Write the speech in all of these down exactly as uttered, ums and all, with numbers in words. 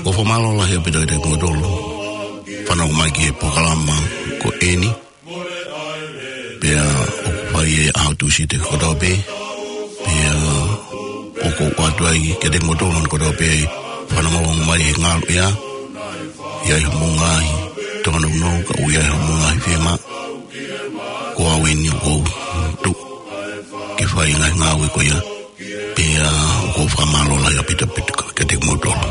ʻOku fakamālō lahi ʻaupito kiate kimoutolu fanongo mai ki he polokalama ko eni. Pea ʻoku fai ʻi he ʻaho Tūsite kotoa pē. Pea ʻoku ou ʻoatu ai kiate kimoutolu kotoa pē fanongo mai he ngalu ia. ʻI ai hoʻomou ngaahi tōnounou, ka ʻoku ʻi ai hoʻomou ngaahi fiemaʻu, ko au eni ʻoku ou tuʻu ke fai e ngaahi ngāue ko ia. Pea ʻoku ou fakamālō lahi ʻaupito kiate kimoutolu.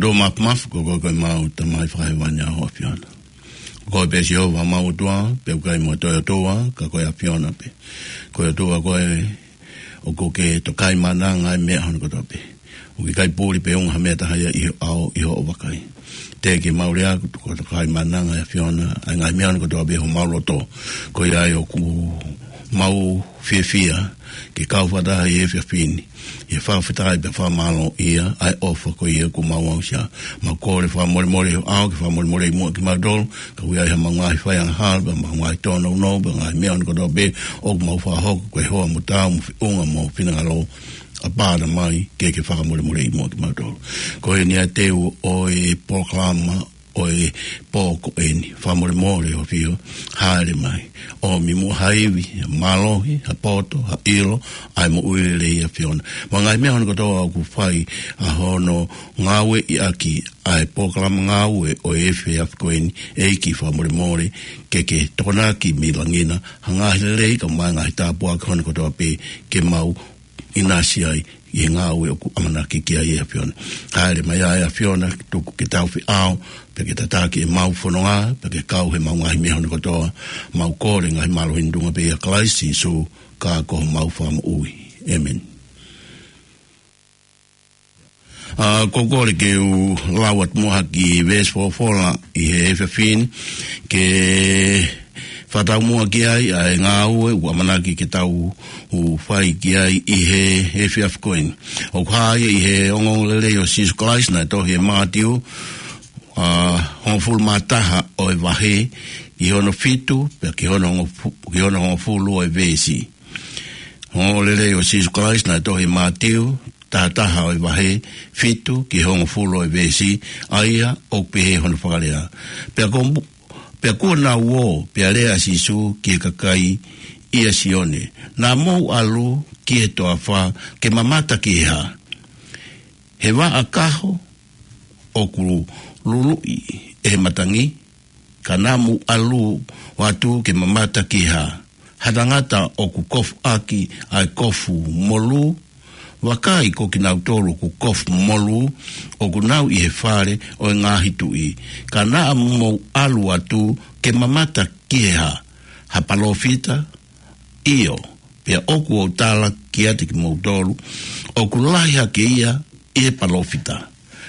Lotu mafimafi, ko koe ko ʻemau Tamai fakahēvani ʻa ho ʻAfiona. Ko koe pē Sihova ʻemau ʻOtua, pea ʻoku ʻikai mo ha toe ʻOtua, ka ko e ʻAfiona pē. Ko e ʻOtua koe ʻoku ke tokaimaʻananga ʻa e meʻa hono kotoa pē. ʻOku ʻikai puli pe unga ha meʻa taha ia ʻi ho ʻao, ʻi hoʻo vakai. Teʻeki ke mau lea, ko e tokaimaʻananga ʻa e ʻAfiona, ʻa e ngaahi meʻa hono kotoa pē homau loto. Ko ia ai ʻoku mau fiefia ke kau fakataha ʻi he efiafi ni, ʻi he fakafetaʻi pea fakamālōʻia ʻa e ʻofa ko ia kuo mau aʻusia. Mau kole fakamolemole ʻi ho ʻao, ke fakamolemoleʻi muʻa kimautolu, ka ʻoku ʻi ai haʻamau ngaahi faiangahala, pea mau ngaahi tōnounou, pea ngaahi meʻa hono kotoa pē ʻoku mau fakahoko, ko e hoa mo taau, mo feʻunga, mo finangalo, ʻa pāna mai, ke ke fakamolemoleʻi muʻa kimautolu. Ko eni ʻa e teu ʻo e polokalama ʻo e pō ko eni. Fakamolemole ʻAfio, hāʻele mai. ʻOmi muʻa ha ivi, ha mālohi, ha poto, ha ʻilo, ʻa e moʻui lelei ʻAfiona. Mo e ngaahi meʻa hono kotoa ʻoku fai ʻa hono ngāueʻi ʻaki ʻa e polokalama ngāue ʻo e efiafi ko eni, ʻEiki fakamolemole, ke ke tokonaki mei langi na, ha ngaahi lelei kae ʻumaʻā e ngaahi tāpuaki hono kotoa pē ke mau ʻinasi ai ʻi he ngāue ʻoku ʻamanaki ki ai ʻe ʻAfiona. Hāʻele mai ʻa e ʻAfiona, tuku ke tau feʻao, pea ke tataki ʻemau fononga, pea ke kau heʻemau ngaahi meʻa hono kotoa, mau kole ngaahi mālohi ni ʻi he tuʻunga pē ʻia Kalaisi Sīsū, ka ko homau Fakamoʻui. ʻĒmeni. ʻA, ʻoku ou kole ke u lau atu muʻa ha kiʻi veesi folofola ʻi he efiafi ni, ke fakataumuʻa ki ai ʻa e ngāue ʻoku ʻamanaki ke tau ʻu fai ki ai ʻi he efiafi ko eni. ʻOku hā ia ʻi he ongoongolelei ʻo Sīsū Kalaisi naʻe tohi ʻe Mātiu, ʻa, hongofulu mā taha ʻo e vahe, ki hono fitu, pea ki hono hongofu-, ki hono hongofulu ʻo e veesi. Ongoongolelei ʻo Sīsū Kalaisi naʻe tohi ʻe Mātiu, taha taha ʻo e vahe, fitu ki he hongofulu ʻo e veesi, ʻa ia ʻoku pehē hono fakalea. Pea ko mu-, pea kuo nau ō, pea lea ʻa Sīsū ki he kakai ʻia Sione: Naʻa mou ʻalu ki he toafa ke mamata ki he hā? He vaʻa kaho ʻoku luluʻi ʻe he matangi? Ka naʻa mou ʻalu atu ke mamata ki he hā? Ha tangata ʻoku kofu ʻaki ʻa e kofu molū? Vakai, ko kinautolu ʻoku kofu molū ʻoku nau ʻi he fale ʻo e ngaahi tuʻi. Ka naʻa mou ʻalu atu ke mamata ki he hā? Ha palōfita? ʻIo, pea ʻoku ou tala kiate kimoutolu, ʻoku lahi hake ia ʻi he palōfita.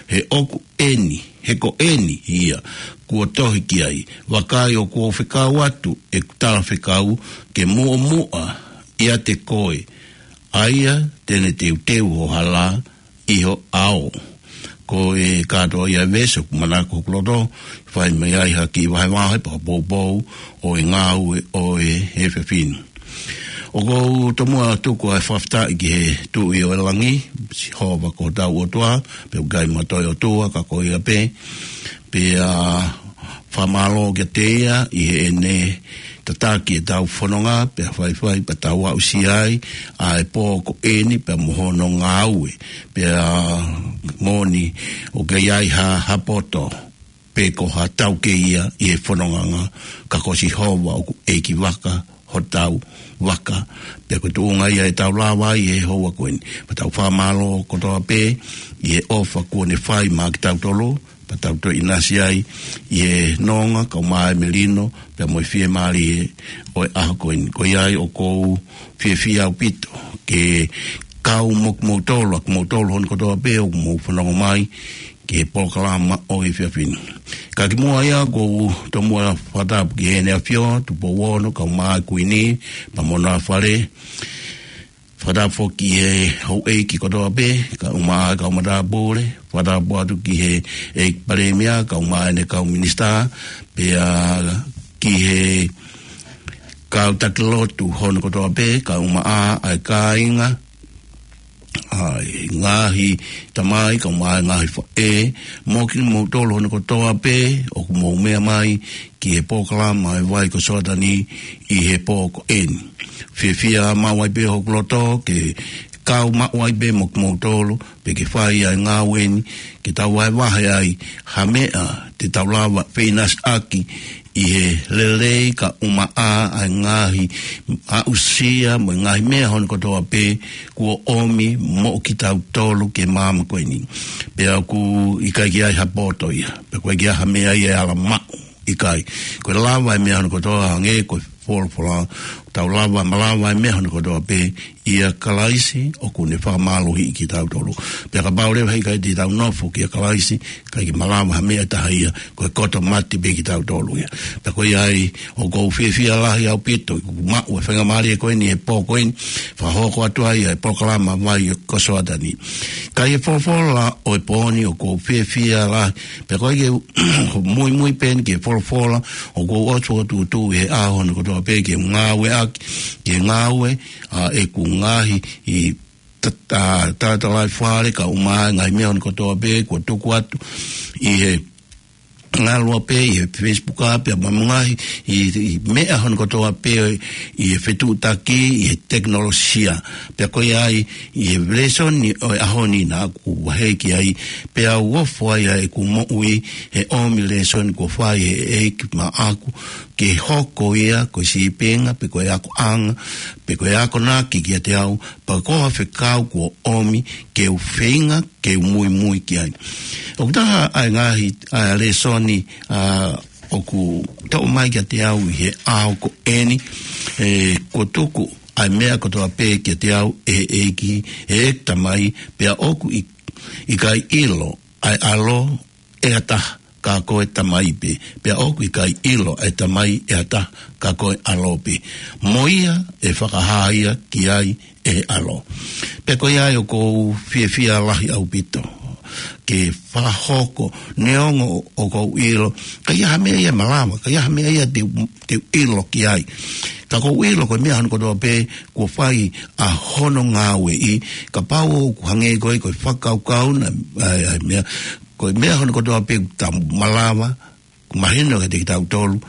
He ʻoku eni, he ko eni ia kuo tohi ki ai: Vakai, ʻoku ou fekau atu ʻeku talafekau ke muʻomuʻa ʻiate koe, ʻa ia te ne teuteu ho hala ʻi ho ʻao. Ko e kātoa ia e veesi ʻoku manako hoku loto, fai mai ai ha kiʻi vahevahe pea poupou ʻo e ngāue ʻo e efiafi ni. ʻOku ou tomuʻa tuku ʻa e fakafetaʻi ki he Tuʻi ʻo e langi, Sihova ko hotau ʻOtua, pea ʻoku ʻikai mo ha toe ʻOtua ka ko ia pē, pea fakamālō kiate ia ʻi heʻene tataki ʻetau fononga, pea faifai pea tau aʻusia ai ʻa e pō ko eni pea mo hono ngāue. Pea moʻoni ʻoku ʻikai ha, ha poto pe ko ha taukei ia ʻi he fononga, ka ko Sihova ʻoku ʻEiki vaka hotau vaka. Pea ko e tuʻunga ia ʻe tau lava ai he houa ko eni. Pea tau fakamālō kotoa pē ʻi he ʻofa kuo ne fai maʻa kitautolu, pea tau toe ʻinasi ai ʻi he nonga kae ʻumaʻā e melino, pea mo e fiemālie ʻo e ʻaho ko eni. Ko ia ai ʻoku ou fiefia ʻaupito ke kau mo kimoutolu, ʻa kimoutolu hono kotoa pē ʻoku mou fanongo mai ki he polokalama ʻo e efiafi ni. Ka kimuʻa ia, ʻoku ou tomuʻa fakatapu ki Heʻene ʻAfio, Tupou Ono, kae ʻumaʻā e Kuini, pea mo hona fale. Fakatapu foki ki he houʻeiki kotoa pē, kae ʻumaʻā e kau matāpule. Fakatapu atu ki he ʻEiki Palēmia, kae ʻumaʻā ʻene kau minisitā, pea ki he kau taki lotu hono kotoa pē, kae ʻumaʻā ʻa e kāinga, ʻa e ngaahi tamai, kae ʻumaʻā e ngaahi faʻē, mo kimoutolu hono kotoa pē ʻoku mou meʻa mai ki he polokalama ʻa e Vai ko Soatani ʻi he pō ko eni. Fiefia maʻu ai pē hoku loto ke kau maʻu ai pē mo kimoutolu, pea ke fai ʻa e ngāue ni, ke tau vahevahe ai ha meʻa te tau lava feʻinasiʻaki ʻi he lelei kae ʻumaʻā ʻa e ngaahi aʻusia mo e ngaahi meʻa hono kotoa pē kuo ʻomi moʻo kitautolu ki he māmani ko eni. Pea ʻoku ʻikai ke ʻi ai ha poto ia, pea ʻoku ʻikai ke ʻi ai ha meʻa ia ʻe ala maʻu, ʻikai. Ko e lava e meʻa hono kotoa hangē ko e folofola, tau lava, malava e meʻa hono kotoa pē ʻia Kalaisi ʻoku ne fakamālohiʻi kitautolu. Pea kapau leva he ʻikai te tau nofo kia Kalaisi, ʻikai ke malava ha meʻa ʻe taha ia, ko e koto mate pē kitautolu ia. Pea ko ia ai ʻoku ou fiefia lahi ʻaupito, ʻoku maʻu e faingamālie ko eni he pō ko eni, fakahoko atu ai ʻa e polokalama Vai ʻo Kosoatani. Ka ʻi he folofola ʻo e pō ni ʻoku ou fiefia lahi, pea ko ia ke muimui pē eni ki he folofola, ʻoku ou ʻoatu ʻa e tuʻutuʻuni he ʻaho ni kotoa pē ke ngāueʻaki, ke ngāue, ʻa ʻeku ngaahi ʻi ta-, ta-, talatalaifale kae ʻumaʻā e ngaahi meʻa hono kotoa pē kuo tuku atu ʻi he ngaluope, ʻi he Facebook ʻa pea mo e ngaahi ʻi, ʻi meʻa hono kotoa pē ʻi he fetuʻutaki, ʻi he tekinolosia. Pea ko ia ai, ʻi he lēsoni ʻo e ʻaho ni naʻa ku vahe ki ai, pea u ofo ai ʻa ʻeku moʻui he ʻomi lēsoni kuo fai ʻe he ʻEiki maʻaku, ke hoko ia ko e sīpinga, pe ko e akoʻanga, pe ko e akonaki kiate au, pea ko ha fekau kuo ʻomi ke u feinga, ke u muimui ki ai. ʻOku taha ʻa e ngaahi, ʻa e lēsoni, ʻa, ʻoku toʻo mai kiate au ʻi he ʻaho ko eni, ʻe, kuo tuku ʻa e meʻa kotoa pē kiate au ʻe he ʻEiki, ʻe he Tamai, pea ʻoku ʻi-, ʻikai ʻilo ʻa e ʻAlo ʻe ha taha, ka ko e Tamai pē, pea ʻoku ʻikai ʻilo ʻa e Tamai ʻe ha taha, ka ko e ʻAlo pē. Mo ia ʻe fakahā ia ki ai ʻe he ʻAlo. Pea ko ia ai ʻoku ou fiefia lahi ʻaupito ke fakahoko, neongo ʻoku ou ʻilo, ka ʻi ai ha meʻa ia ʻe malava, ka ʻi ai ha meʻa ia te u, te u ʻilo ki ai. Ka ʻoku ou ʻilo ko e meʻa hono kotoa pē kuo fai ʻa hono ngāueʻi, kapau ʻoku hangē ko e, ko e fakakaukau na, ʻa e, ʻa e meʻa, ko e meʻa hono kotoa pē ʻoku tau malava, ʻoku mahino kiate kitautolu,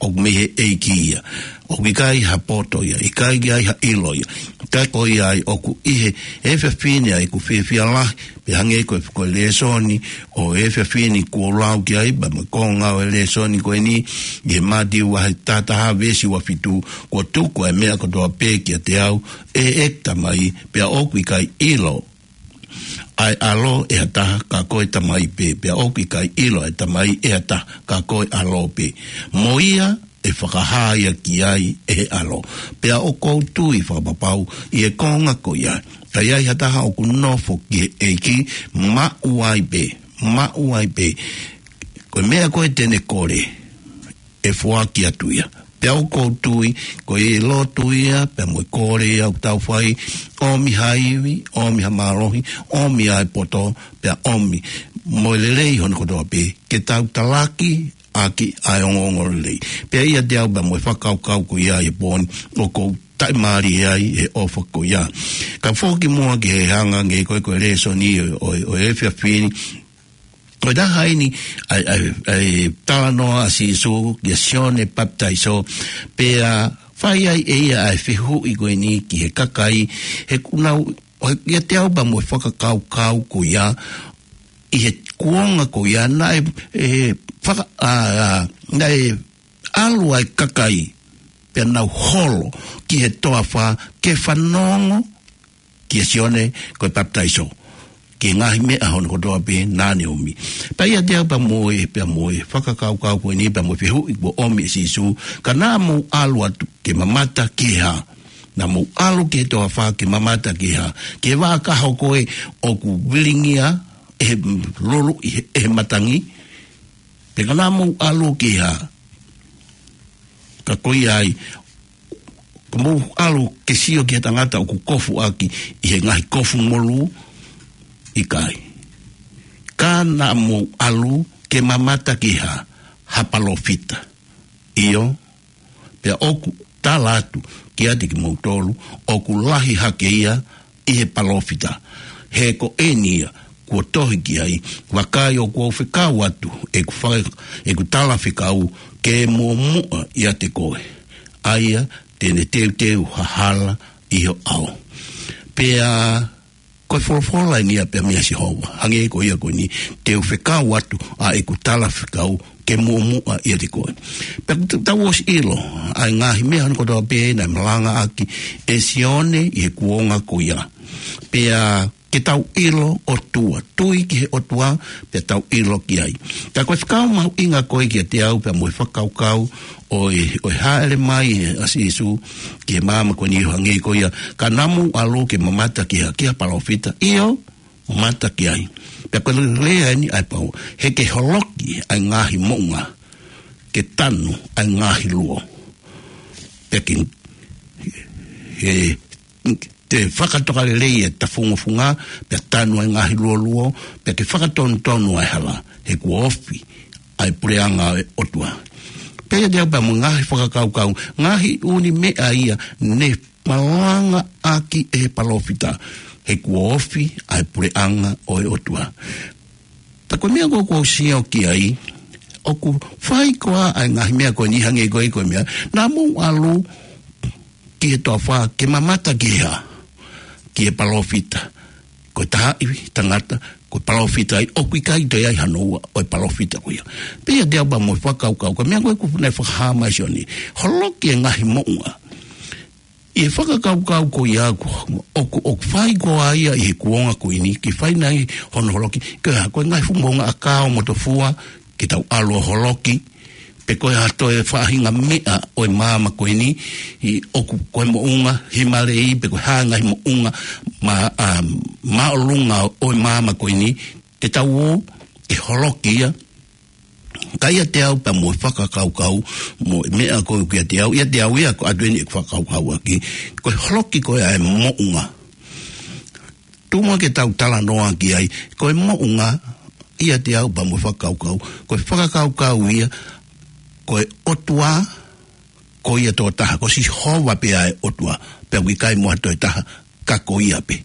ʻoku mei he ʻEiki ia. ʻOku ʻikai ha poto ia, ʻikai ke ʻi ai ha ʻilo ia. Ka ko ia ai ʻoku ʻi he, he efiafi ni ʻa ʻeku fiefia lahi, pea hangē ko e, ko e lēsoni ʻo e efiafi ni kuo u lau ki ai, pea mo e konga ʻo e lēsoni ko eni, ʻi he Mātiu vahe taha taha veesi ua fitu, kuo tuku ʻa e meʻa kotoa pē kiate au ʻe he Tamai, pea ʻoku ʻikai ʻilo ʻa e ʻAlo ʻe ha taha, ka ko e Tamai pē, pea ʻoku ʻikai ʻilo ʻa e Tamai ʻe ha taha, ka ko e ʻAlo pē. Mo ia ʻe fakahā ia ki ai ʻe he ʻAlo. Pea ʻoku ou tui fakapapau ʻi he konga ko ia, ka ʻi ai ha taha ʻoku nofo ki he ʻEiki, maʻu ai pē, maʻu ai pē. Ko e meʻa ko ē te ne kole, ʻe foaki atu ia. Pea ʻoku ou tui, ko e lotu ia, pea mo e kole ia ʻoku tau fai, ʻomi ha ivi, ʻomi ha mālohi, ʻomi ʻa e poto, pea ʻomi mo e lelei hono kotoa pē, ke tau talaki ʻaki ʻa e ongoongolelei. Pea ʻiate au pea mo e fakakaukau ko ia ʻi he pō ni, ʻoku ou taʻimālie ai he ʻofa ko ia. Ka foki muʻa ki he hanga hangē ko e, ko e lēsoni ʻo, ʻo, ʻo e efiafi ni, ko e taha eni ʻa e, ʻa e, ʻa e talanoa ʻa Sīsū kia Sione Papitaiso, pea fai ai ʻe ia ʻa e fehuʻi ko eni ki he kakai, he ʻoku nau, ʻo, ʻiate au pea mo e fakakaukau ko ia, ʻi he kuonga ko ia naʻe, ʻe, faka-, ʻa, ʻa, naʻe ʻalu ʻa e kakai, pea nau holo ki he toafa ke fanongo kia Sione ko e Papitaiso, ki he ngaahi meʻa hono kotoa pē naʻa ne ʻomi. Pea ʻiate au pea mo e, pea mo e fakakaukau ko eni, pea mo e fehuʻi kuo ʻomi ʻe Sīsū, ka naʻa mou ʻalu atu ke mamata ki he hā? Naʻa mou ʻalu ki he toafa ke mamata ki he hā? Ki he vaʻa kaho ko ē ʻoku vilingia ʻe he lulu ʻi he, ʻe he matangi? Pe ka naʻa mou ʻalu ki he hā? Ka ko ia ai, ka mou ʻalu ke sio ki he tangata ʻoku kofu ʻaki ʻi he ngaahi kofu molū? ʻIkai. Ka naʻa mou ʻalu ke mamata ki he hā? Ha palōfita. ʻIo, pea ʻoku tala atu kiate kimoutolu, ʻoku lahi hake ia ʻi he palōfita. He ko eni ia kuo tohi ki ai, vakai ʻoku ou fekau atu ʻeku fa-, ʻeku talafekau ke muʻomuʻa ʻiate koe, ʻa ia te ne teuteu ha hala ʻi ho ʻao. Pea ko e folofola eni ia pē meia Sihova, hangē ko ia ko eni, te u fekau atu ʻa ʻeku talafekau ke muʻomuʻa ʻiate koe. Pea ʻoku tau ʻosi ʻilo ʻa e ngaahi meʻa hono kotoa pē naʻe malangaʻaki ʻe Sione ʻi he kuonga ko ia. Pea ke tau ʻilo ʻOtua, tui ki he ʻOtua, pea tau ʻilo ki ai. Ka ko e fekau mahuʻinga ko ē kiate au pea mo e fakakaukau ʻo e, ʻo e hāʻele mai ʻa Sīsū ki he māmani ko eni, hangē ko ia, ka naʻa mou ʻalu ke mamata ki ha, ki ha palōfita, ʻio, mamata ki ai. Pea ko e lea eni ʻa e pau, he ke holoki ʻa e ngaahi moʻunga, ke tanu ʻa e ngaahi luo. Pea ke, he, te fakatokalelei e tafungofunga, pea tanu ʻa e ngaahi luoluo, pea ke fakatonutonu ʻa e hala, he kuo ofi ʻa e puleʻanga ʻo e ʻOtua. Pea ʻiate au pea mo e ngaahi fakakaukau, ngaahi ʻū meʻa ia ne malangaʻaki ʻe he palōfita, he kuo ofi ʻa e puleʻanga ʻo e ʻOtua. Pea ko e meʻa ko ē ʻoku ou sio ki ai, ʻoku fai koā ʻa e ngaahi meʻa ko eni, hangē ko e, ko e meʻa, naʻa mou ʻalu ki he toafa ke mamata ki he hā? Ki he palōfita. Ko e taha ʻi tangata, ko e palōfita ai, ʻoku ʻikai toe ʻi ai hano ua ʻo e palōfita ko ia. Pea ʻiate au pea mo e fakakaukau, ko e meʻa ko ē ʻoku ne fakahā mai ʻe Sione, holoki e ngaahi moʻunga. ʻI he fakakaukau ko ia ʻoku, ʻoku, ʻoku fai koā ia ʻi he kuonga ko eni, ke fai nai hono holoki, ko e hā, ko e ngaahi fuʻu moʻunga ʻakau mo tofua, ke tau ʻalu ʻo holoki, pe ko e hā toe faʻahinga meʻa ʻo e māmani ko eni, ʻi ʻoku ko e moʻunga himalei, pe ko e hā ngaahi moʻunga mā-, ʻa, māʻolunga ʻo e māmani ko eni, te tau ō ke holoki ia. Ka ʻiate au pea mo e fakakaukau, mo e meʻa ko ē ʻoku ʻiate au, ʻiate au ia ko atu eni ʻeku fakakaukauʻaki, ko e holoki ko ē ʻa e moʻunga. Tuku muʻa ke tau talanoa ki ai, ko e moʻunga ʻiate au pea mo e fakakaukau, ko e fakakaukau ia, ko e ʻOtua, ko ia tokotaha, ko Sihova pē ʻa e ʻOtua, pea ʻoku ʻikai mo ha toe taha, ka ko ia pē.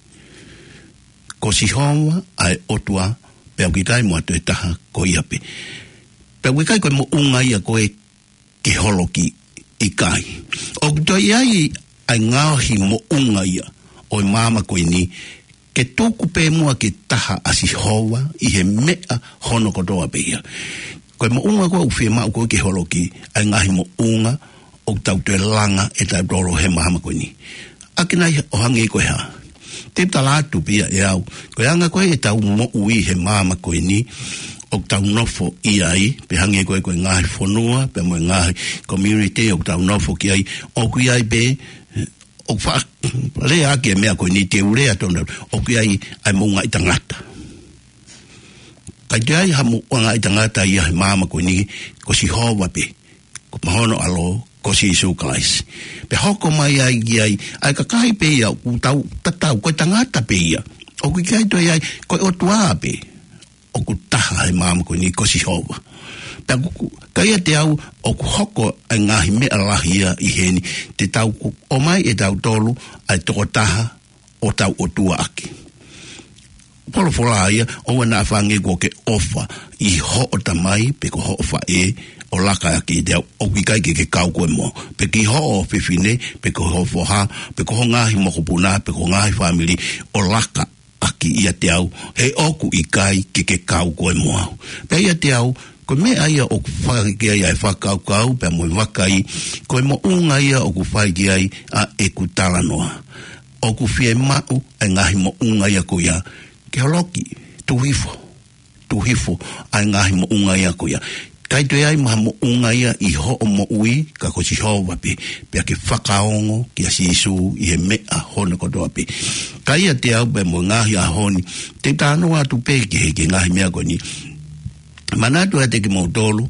Ko Sihova ʻa e ʻOtua, pea ʻoku ʻikai mo ha toe taha, ko ia pē. Pea ʻoku ʻikai ko e moʻunga ia ko ē ke holoki, ʻikai. ʻOku toe ʻi ai ʻa e ngaahi moʻunga ia ʻo e māmani ko eni, ke tuku pē muʻa ke taha ʻa Sihova ʻi he meʻa hono kotoa pē ia. Ko e moʻunga ko ē ʻoku fiemaʻu ko ē ke holoki, ʻa e ngaahi moʻunga ʻoku tau toe langa ʻe tautolu he māmani ko eni. ʻAki nai ʻo hangē ko e hā? Te u tala atu pē ia ʻe au, ko e anga ko ē ʻetau moʻui he māmani ko eni, ʻoku tau nofo ʻi ai, pe hangē ko ē ko e ngaahi fonua, pea mo e ngaahi community ʻoku tau nofo ki ai, ʻoku ʻi ai pē, ʻoku faʻa lea ʻaki e meʻa ko eni, te u lea tonu, ʻoku ʻi ai ʻa e moʻunga ʻi tangata. ʻIkai toe ʻi ai ha moʻunga ʻi tangata ia he māmani ko eni, ko Sihova pē, ko hono ʻAlo, ko Sīsū Kalaisi. Pea hoko mai ai ki ai, ʻa e kakai pē ia, ʻoku tau tatau, ko e tangata pē ia. ʻOku ʻikai toe ʻi ai, ko e ʻOtua pē ʻoku taha he māmani ko eni, ko Sihova. Pea ʻoku, ka ʻiate au, ʻoku hoko ʻa e ngaahi meʻa lahi ia ʻi heni, te tau ku-, ʻomai ʻe tautolu ʻa e tokotaha ʻo tau ʻOtua ʻaki. Folofola ia, ʻoua naʻa fāngeʻi kuo ke ʻofa ʻi hoʻo tamai, pe ko hoʻo faʻē, ʻo laka ʻaki ʻiate au, ʻoku ʻikai ke ke kau koe mo au. Pe ki hoʻo fefine, pe ko hoʻo foha, pe ko ho ngaahi mokopuna, pe ko ho ngaahi fāmili, ʻo laka ʻaki ʻiate au, he ʻoku ʻikai ke ke kau koe mo au. Pea ʻiate au, ko e meʻa ia ʻoku fai ki ai ʻa e fakakaukau, pea mo e vakai, ko e moʻunga ia ʻoku fai ki ai ʻa ʻeku talanoa. ʻOku fiemaʻu ʻa e ngaahi moʻunga ia ko ia, ke holoki, tuku hifo, tuku hifo ʻa e ngaahi moʻunga ia ko ia. ʻIkai toe ʻi ai mo ha moʻunga ia ʻi hoʻo moʻui, ka ko Sihova pē, pea ke fakaongo kia Sīsū ʻi he meʻa hono kotoa pē. Ka ʻiate au pea mo e ngaahi ʻaho ni, te u talanoa atu pē ki he, ki he ngaahi meʻa ko eni. Manatu atu kiate kimoutolu,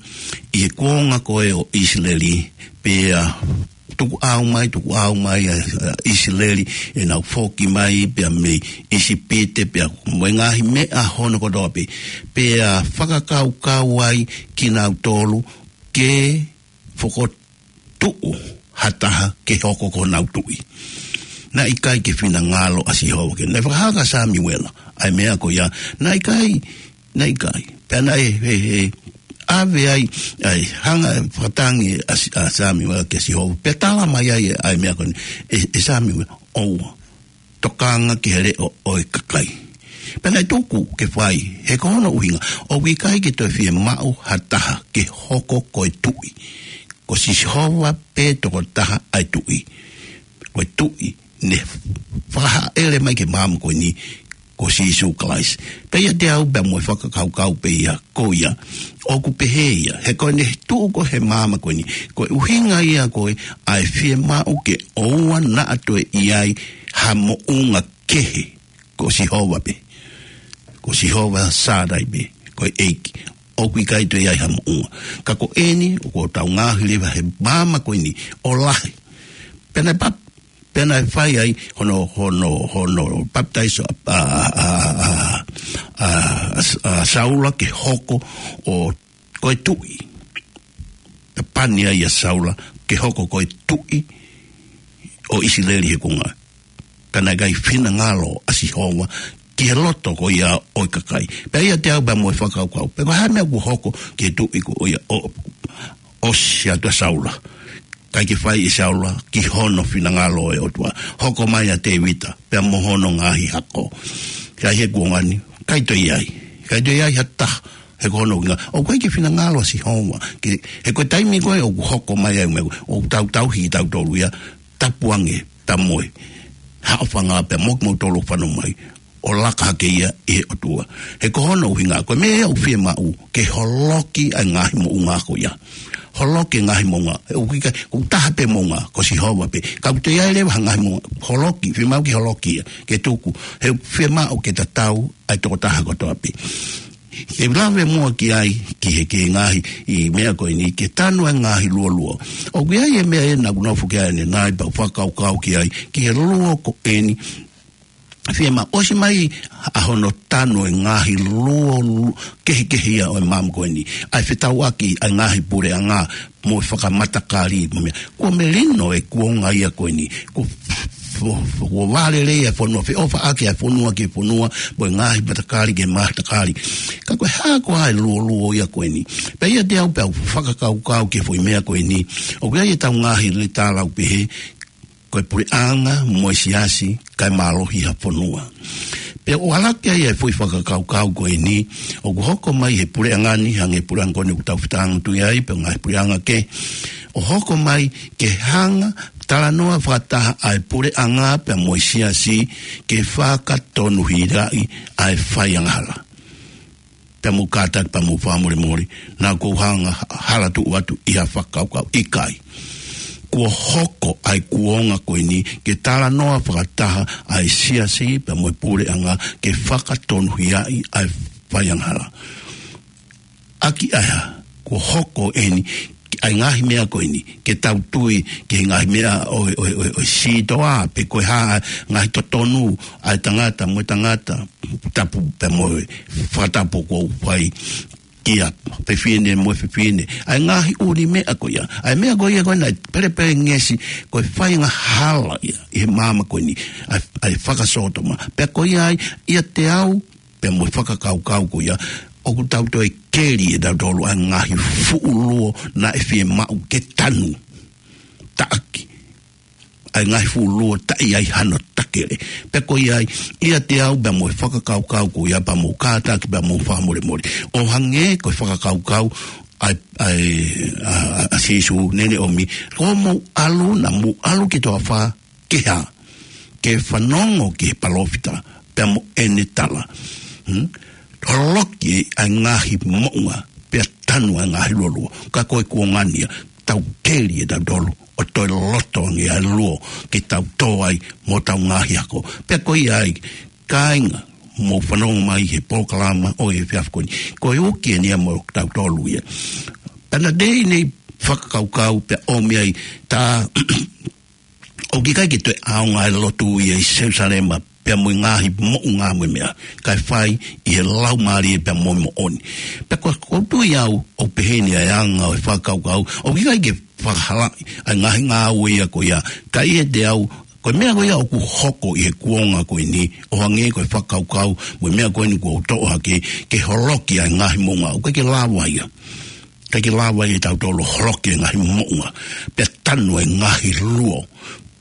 ʻi he kuonga ko ē ʻo ʻIsileli, pea tukuʻau mai, tukuʻau mai ʻa, ʻa ʻIsileli, ʻenau foki mai, pea mei ʻIsipite, pea mo e ngaahi meʻa hono kotoa pē. Pea fakakaukau ai kinautolu ke fokotuʻu ha taha ke hoko ko honau tuʻi. Naʻe ʻikai ke finangalo ʻa Sihova ke, naʻe fakahā kia Samiuela ʻa e meʻa ko ia, naʻe ʻikai, naʻe ʻikai. Pea naʻe, he, he, ʻave ai, ʻa e hanga ʻe he fakatangi ʻa Si-, ʻa Samiuela kia Sihova. Pea tala mai ai ʻa e meʻa ko eni, ʻe, ʻe Samiuela, ʻoua. tokanga ki he leʻo ʻo e kakai. Pea naʻe tuku ke fai, he ko hono ʻuhinga, ʻoku ʻikai ke toe fiemaʻu ha taha ke hoko ko e tuʻi. Ko Sihova pē tokotaha ʻa e tuʻi. Ko e tuʻi ne fakahaʻele mai ki māmani ko eni, ko Sīsū Kalaisi. Pea ʻiate au pea mo e fakakaukau pē ia ko ia, ʻoku pehē ia, he ko ʻene tuʻu ko ē he māmani ko eni, ko e ʻuhinga ia ko ē ʻa e fiemaʻu ke ʻoua naʻa toe ʻi ai ha moʻunga kehe, ko Sihova pē. Ko Sihova Sānai pē, ko e ʻEiki. ʻOku ʻikai toe ʻi ai ha moʻunga. Ka ko eni, ʻoku tau ngaohi leva he māmani ko eni ʻo lahi. Pea naʻe pap-, pea naʻe fai ai hono, hono, hono papitaiso ʻa, ʻa, ʻa, ʻa, ʻa, ʻa Saula ke hoko ʻo ko e tuʻi. Pea pani ai ʻa Saula ke hoko ko e tuʻi ʻo ʻIsileli he kuonga. Ka naʻe ʻikai finangalo ʻa Sihova ki he loto ko ia ʻo e kakai. Pea ʻiate au pea mo e fakakaukau, pe ko e hā e meʻa kuo hoko ki he tuʻi ko ia ʻo, ʻosi atu ʻa Saula. ʻIkai ke fai ʻe Saula ki hono finangalo ʻo e ʻOtua. Hoko mai ʻa Tēvita, pea mo hono ngaahi hako. Ka ʻi he kuonga ni, ʻikai toe ʻi ai. ʻIkai toe ʻi ai ha taha, he ko hono ʻuhinga, ʻoku ʻikai ke finangalo ʻa Sihova. Ke, he ko e taimi ko ē ʻoku hoko mai ai e meʻa ko ē, ʻoku tautauhi kitautolu ia, tapu ange, tamoe. Haʻofanga pea mo kimoutolu ʻoku fanongo mai. ʻO laka hake ia ʻi he ʻOtua. He ko hono ʻuhinga, ko e meʻa ia ʻoku fiemaʻu, ke holoki ʻa e ngaahi moʻunga ko ia. Holoki e ngaahi moʻunga. ʻOku ʻikai, ʻoku taha pē moʻunga, ko Sihova pē. Ka ʻoku toe ʻi ai leva ha ngaahi moʻunga, holoki, fiemaʻu ke holoki ia, ke tuku. He fiemaʻu ke tatau ʻa e tokotaha kotoa pē. Ke lave muʻa ki ai, ki he, ki he ngaahi, ʻi he meʻa ko eni, ke tanu ʻa e ngaahi luoluo. ʻOku ʻi ai e meʻa ʻe naʻa ku nofo ki ai ʻanenai, pea u fakakaukau ki ai, ki he luo ko eni, fiemaʻu ʻosi mai ʻa hono tanu e ngaahi luo, luo, kehekehe ia ʻo e māmani ko eni. ʻA e fetauʻaki ʻa e ngaahi puleʻanga mo e fakamatakali mo e meʻa. Kuo melino e kuonga ia ko eni. Kuo f-, f-, f-, kuo vālelei e fonua, feʻofaʻaki e fonua ki he fonua, mo e ngaahi matakali ki he matakali. Ka ko e hā koā e luoluo ia ko eni. Pea ʻiate au pea u fakakaukau ki he foʻi meʻa ko eni. ʻOku ʻi ai e tau ngaahi leta lau pehē, ko e puleʻanga mo e siasi, kae mālohi ha fonua. Pea ʻoku ʻalu ki ai e foʻi fakakaukau ko eni, ʻoku hoko mai he puleʻanga ni, hangē puleʻanga ko eni ʻoku tau fetāngutu ai, pea ngaahi puleʻanga kehe, ʻo hoko mai ke hanga, talanoa fakataha ʻa e puleʻanga pea mo e siasi, ke fakatonuhiaʻi ʻa e faiangahala. Pea mou kātaki pea mou fakamolemole, naʻa ku hanga hala tuʻu atu ʻi ha fakakaukau, ʻikai. Kuo hoko ʻa e kuonga ko eni, ke talanoa fakataha ʻa e siasi pea mo e puleʻanga, ke fakatonuhiaʻi ʻa e faiangahala. ʻAki ʻa e hā, kuo hoko eni, ʻa e ngaahi meʻa ko eni, ke tau tui, ki he ngaahi meʻa ʻo, ʻo, ʻo, ʻo sitoa, pe ko e hā, ngaahi totonu, ʻa e tangata, mo e tangata, tapu pea mo e fakatapu kuo fai kia fefine mo e fefine. ʻA e ngaahi ʻuli meʻa ko ia. ʻA e meʻa ko ia ko ena, pelepelengesi, ko e faiangahala ia, ʻi he māmani ko eni, ʻa e, ʻa e fakasōtoma. Pea ko ia ai, ʻiate au, pea mo e fakakaukau ko ia, ʻoku tau toe keli ʻe tautolu ʻa e ngaahi fuʻu luo naʻe fiemaʻu ke tanu. Taʻaki. ʻA e ngaahi fuʻu luo taʻe ʻi ai hano takele. Pea ko ia ai, ʻiate au pea mo e fakakaukau ko ia pea mou kātaki pea mou fakamolemole. ʻO hangē ko e fakakaukau ʻa e, ʻa e, ʻa, ʻa, ʻa Sīsū naʻa ne ʻomi. Ko mou ʻalu naʻa mou ʻalu ki he toafa ke hā. Ke fanongo ki he palōfita, pea mo ʻene tala. Hmm? Holoki ʻa e ngaahi moʻunga, pea tanu ʻa e ngaahi luoluo. Ka ko e kuonga ni ia, tau keli ʻe tautolu, ʻo toe loto ange ʻa e luo, ke tau tō ai mo tau ngaahi ako. Pea ko ia ai, kāinga, mou fanongo mai he polokalama ʻo e efiafi ko eni. Ko e uki eni ia mo tautolu ia. Pea naʻa ne ʻi ai e fakakaukau pea ʻomi ai tā ʻoku ʻikai ke toe ʻaonga e lotu ia ʻi Selusalema, pea mo e ngaahi moʻunga mo e meʻa, kae fai ʻi he laumālie pea mo e moʻoni. Pea ko, ko u tui au, ʻoku pehē ni ʻa e anga ʻo e fakakaukau, ʻoku ʻikai ke fakahalaʻi ʻa e ngaahi ngāue ia ko ia, ka ʻiate au, ko e meʻa ko ia ʻoku hoko ʻi he kuonga ko eni, ʻo hangē ko e fakakaukau, mo e meʻa ko eni kuo u toʻo hake, ke holoki ʻa e ngaahi moʻunga, ʻoku ʻikai ke lava ia. ʻIkai ke lava ia ʻe tautolu holoki e ngaahi moʻunga, pea tanu e ngaahi luo,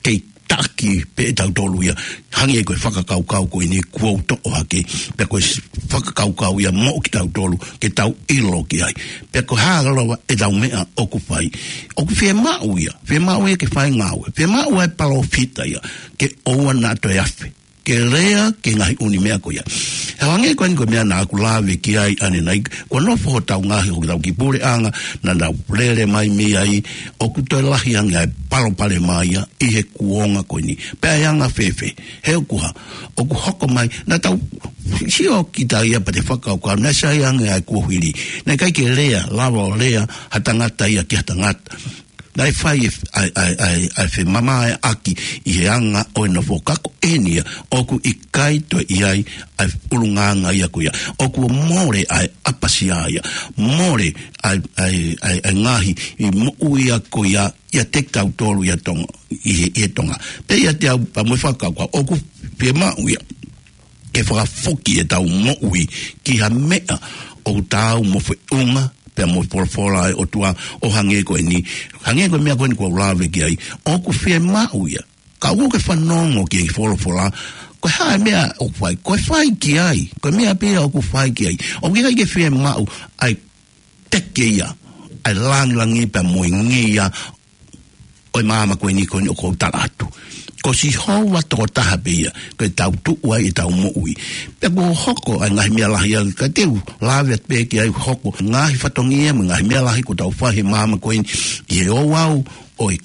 kei taki pē ʻe tautolu ia, hangē ko e fakakaukau ko eni kuo u toʻo hake, pea ko e s-, fakakaukau ia moʻo kitautolu, ke tau ʻilo ki ai. Pea ko e hā lava ʻetau meʻa ʻoku fai. ʻOku fiemaʻu ia, fiemaʻu ia ke fai ngāue, fiemaʻu ʻa e palōfita ia, ke ʻoua naʻa toe afe ke lea ki he ngaahi ʻū meʻa ko ia. He hangē ko eni ko e meʻa naʻa ku lave ki ai ʻanenai, kuo nofo hotau ngaahi, hotau kiʻi puleʻanga, naʻa nau lele mai mei ai, ʻoku toe lahi ange ʻa e palopalema ia ʻi he kuonga ko eni. Pea ʻe anga fēfē, he ʻoku hā, ʻoku hoko mai, naʻa tau sio kita ia pea te fakakaukau, naʻe sai ange ʻa e kuohili. Naʻe ʻikai ke lea, lava ʻo lea ha tangata ia ki ha tangata. Naʻe fai e f-, ʻa e, ʻa e, ʻa e, ʻa e femamaeʻaki ʻi he anga ʻo e nofo, ka ko eni ia, ʻoku ʻikai toe ʻi ai ʻa e ʻulungaanga ia ko ia. ʻOku mole ʻa e ʻapasia ia. Mole ʻa e, ʻa e, ʻa e, ʻa e ngaahi ʻi moʻui ia ko ia, ʻiate kitautolu ia Tonga, ʻi he, ʻi he Tonga. Pea ʻiate au, pea mo e fakakaukau, ʻoku fiemaʻu ia ke fakafoki ʻetau moʻui ki ha meʻa ʻoku taau mo e feʻunga, pea mo e folofola ʻa e ʻOtua ʻo hangē ko eni, hangē ko e meʻa ko eni kuo u lave ki ai, ʻoku fiemaʻu ia. Ka ʻoku ke fanongo ki he folofola, ko e hā e meʻa ʻoku fai, ko e fai ki ai, ko e meʻa pē ia ʻoku fai ki ai. ʻOku ʻikai ke fiemaʻu ʻa e teke ia, ʻa e langilangi pea mo e ngeia ʻo e māmani ko eni ko eni ʻoku ou tala atu. Ko Sihova tokotaha pē ia, ko e tau tuʻu ai ʻetau moʻui. Pea kuo hoko ʻa e ngaahi meʻa lahi ia, ka te u lave atu pē ki ai, hoko ngaahi fatongia mo e ngaahi meʻa lahi kuo tau fai he māmani ko eni, ʻi he ouau ʻo e,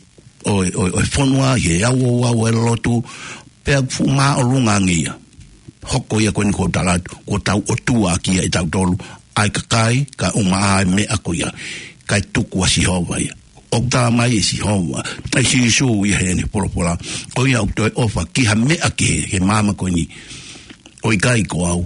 ʻo e, ʻo e, ʻo e fonua, ʻi he ouau ʻo e lotu, pea fuʻu māʻolunga ange ia. Hoko ia ko eni kuo u tala atu, kuo tau ʻotua ʻaki ia ʻe tautolu, ʻa e kakai, kae ʻumaʻā ʻa e meʻa ko ia, kae tuku ʻa Sihova ia. ʻOku tala mai ʻe Sihova, ʻe Sīsū ia heʻene folofola, ko ia ʻoku toe ʻofa ki ha meʻa kehe he māmani ko eni, ʻo ʻikai ko au,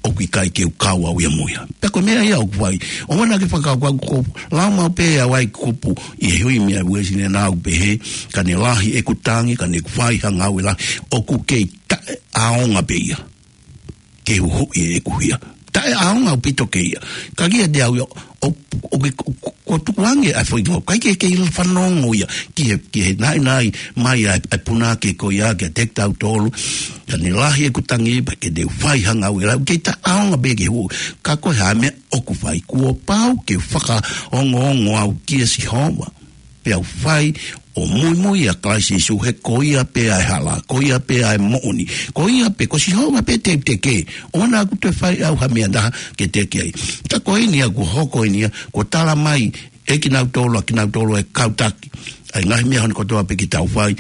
ʻoku ʻikai ke u kau au ia mo ia. Pea ko e meʻa ia ʻoku fai. ʻOua naʻa ke fakakaukau ko e lau maʻu pē ʻa e kupu ʻi he hui meʻa Uēsiliana ʻoku pehē, ka ne lahi ʻeku tangi, ka ne fai ha ngāue lahi, ʻoku kei taʻeʻaonga pē ia ke huhuʻi ʻeku hia. Taʻeʻaonga ʻaupito ke ia. Ka kiate au ia, ʻo, ʻo, ʻo, ʻo, ʻo tuku ange ʻa e foʻi ngāue, ʻikai ke, ke fanongo ia ki he, ki he naʻinaʻi mai ʻa e, ʻa e punake ko ia kiate kitautolu. Ka ne lahi ʻeku tangi pea ke ne fai ha ngāue lahi, kei taʻeʻaonga pē ke huhuʻi. Ka ko e hā e meʻa ʻoku fai, kuo pau ke fakaongoongo au kia Sihova, pea u fai ʻo muimui ʻia Kalaisi Sīsū, he ko ia pē ʻa e hala, ko ia pē ʻa e moʻoni, ko ia pē, ko Sihova pē te u teke. ʻOua naʻa ku toe fai au ha meʻa ʻe taha ke teke ai. Ka ko eni ia kuo hoko eni ia, kuo tala mai ʻe kinautolu, ʻa kinautolu ʻa e kau taki, ʻa e ngaahi meʻa hono kotoa pē ke tau fai,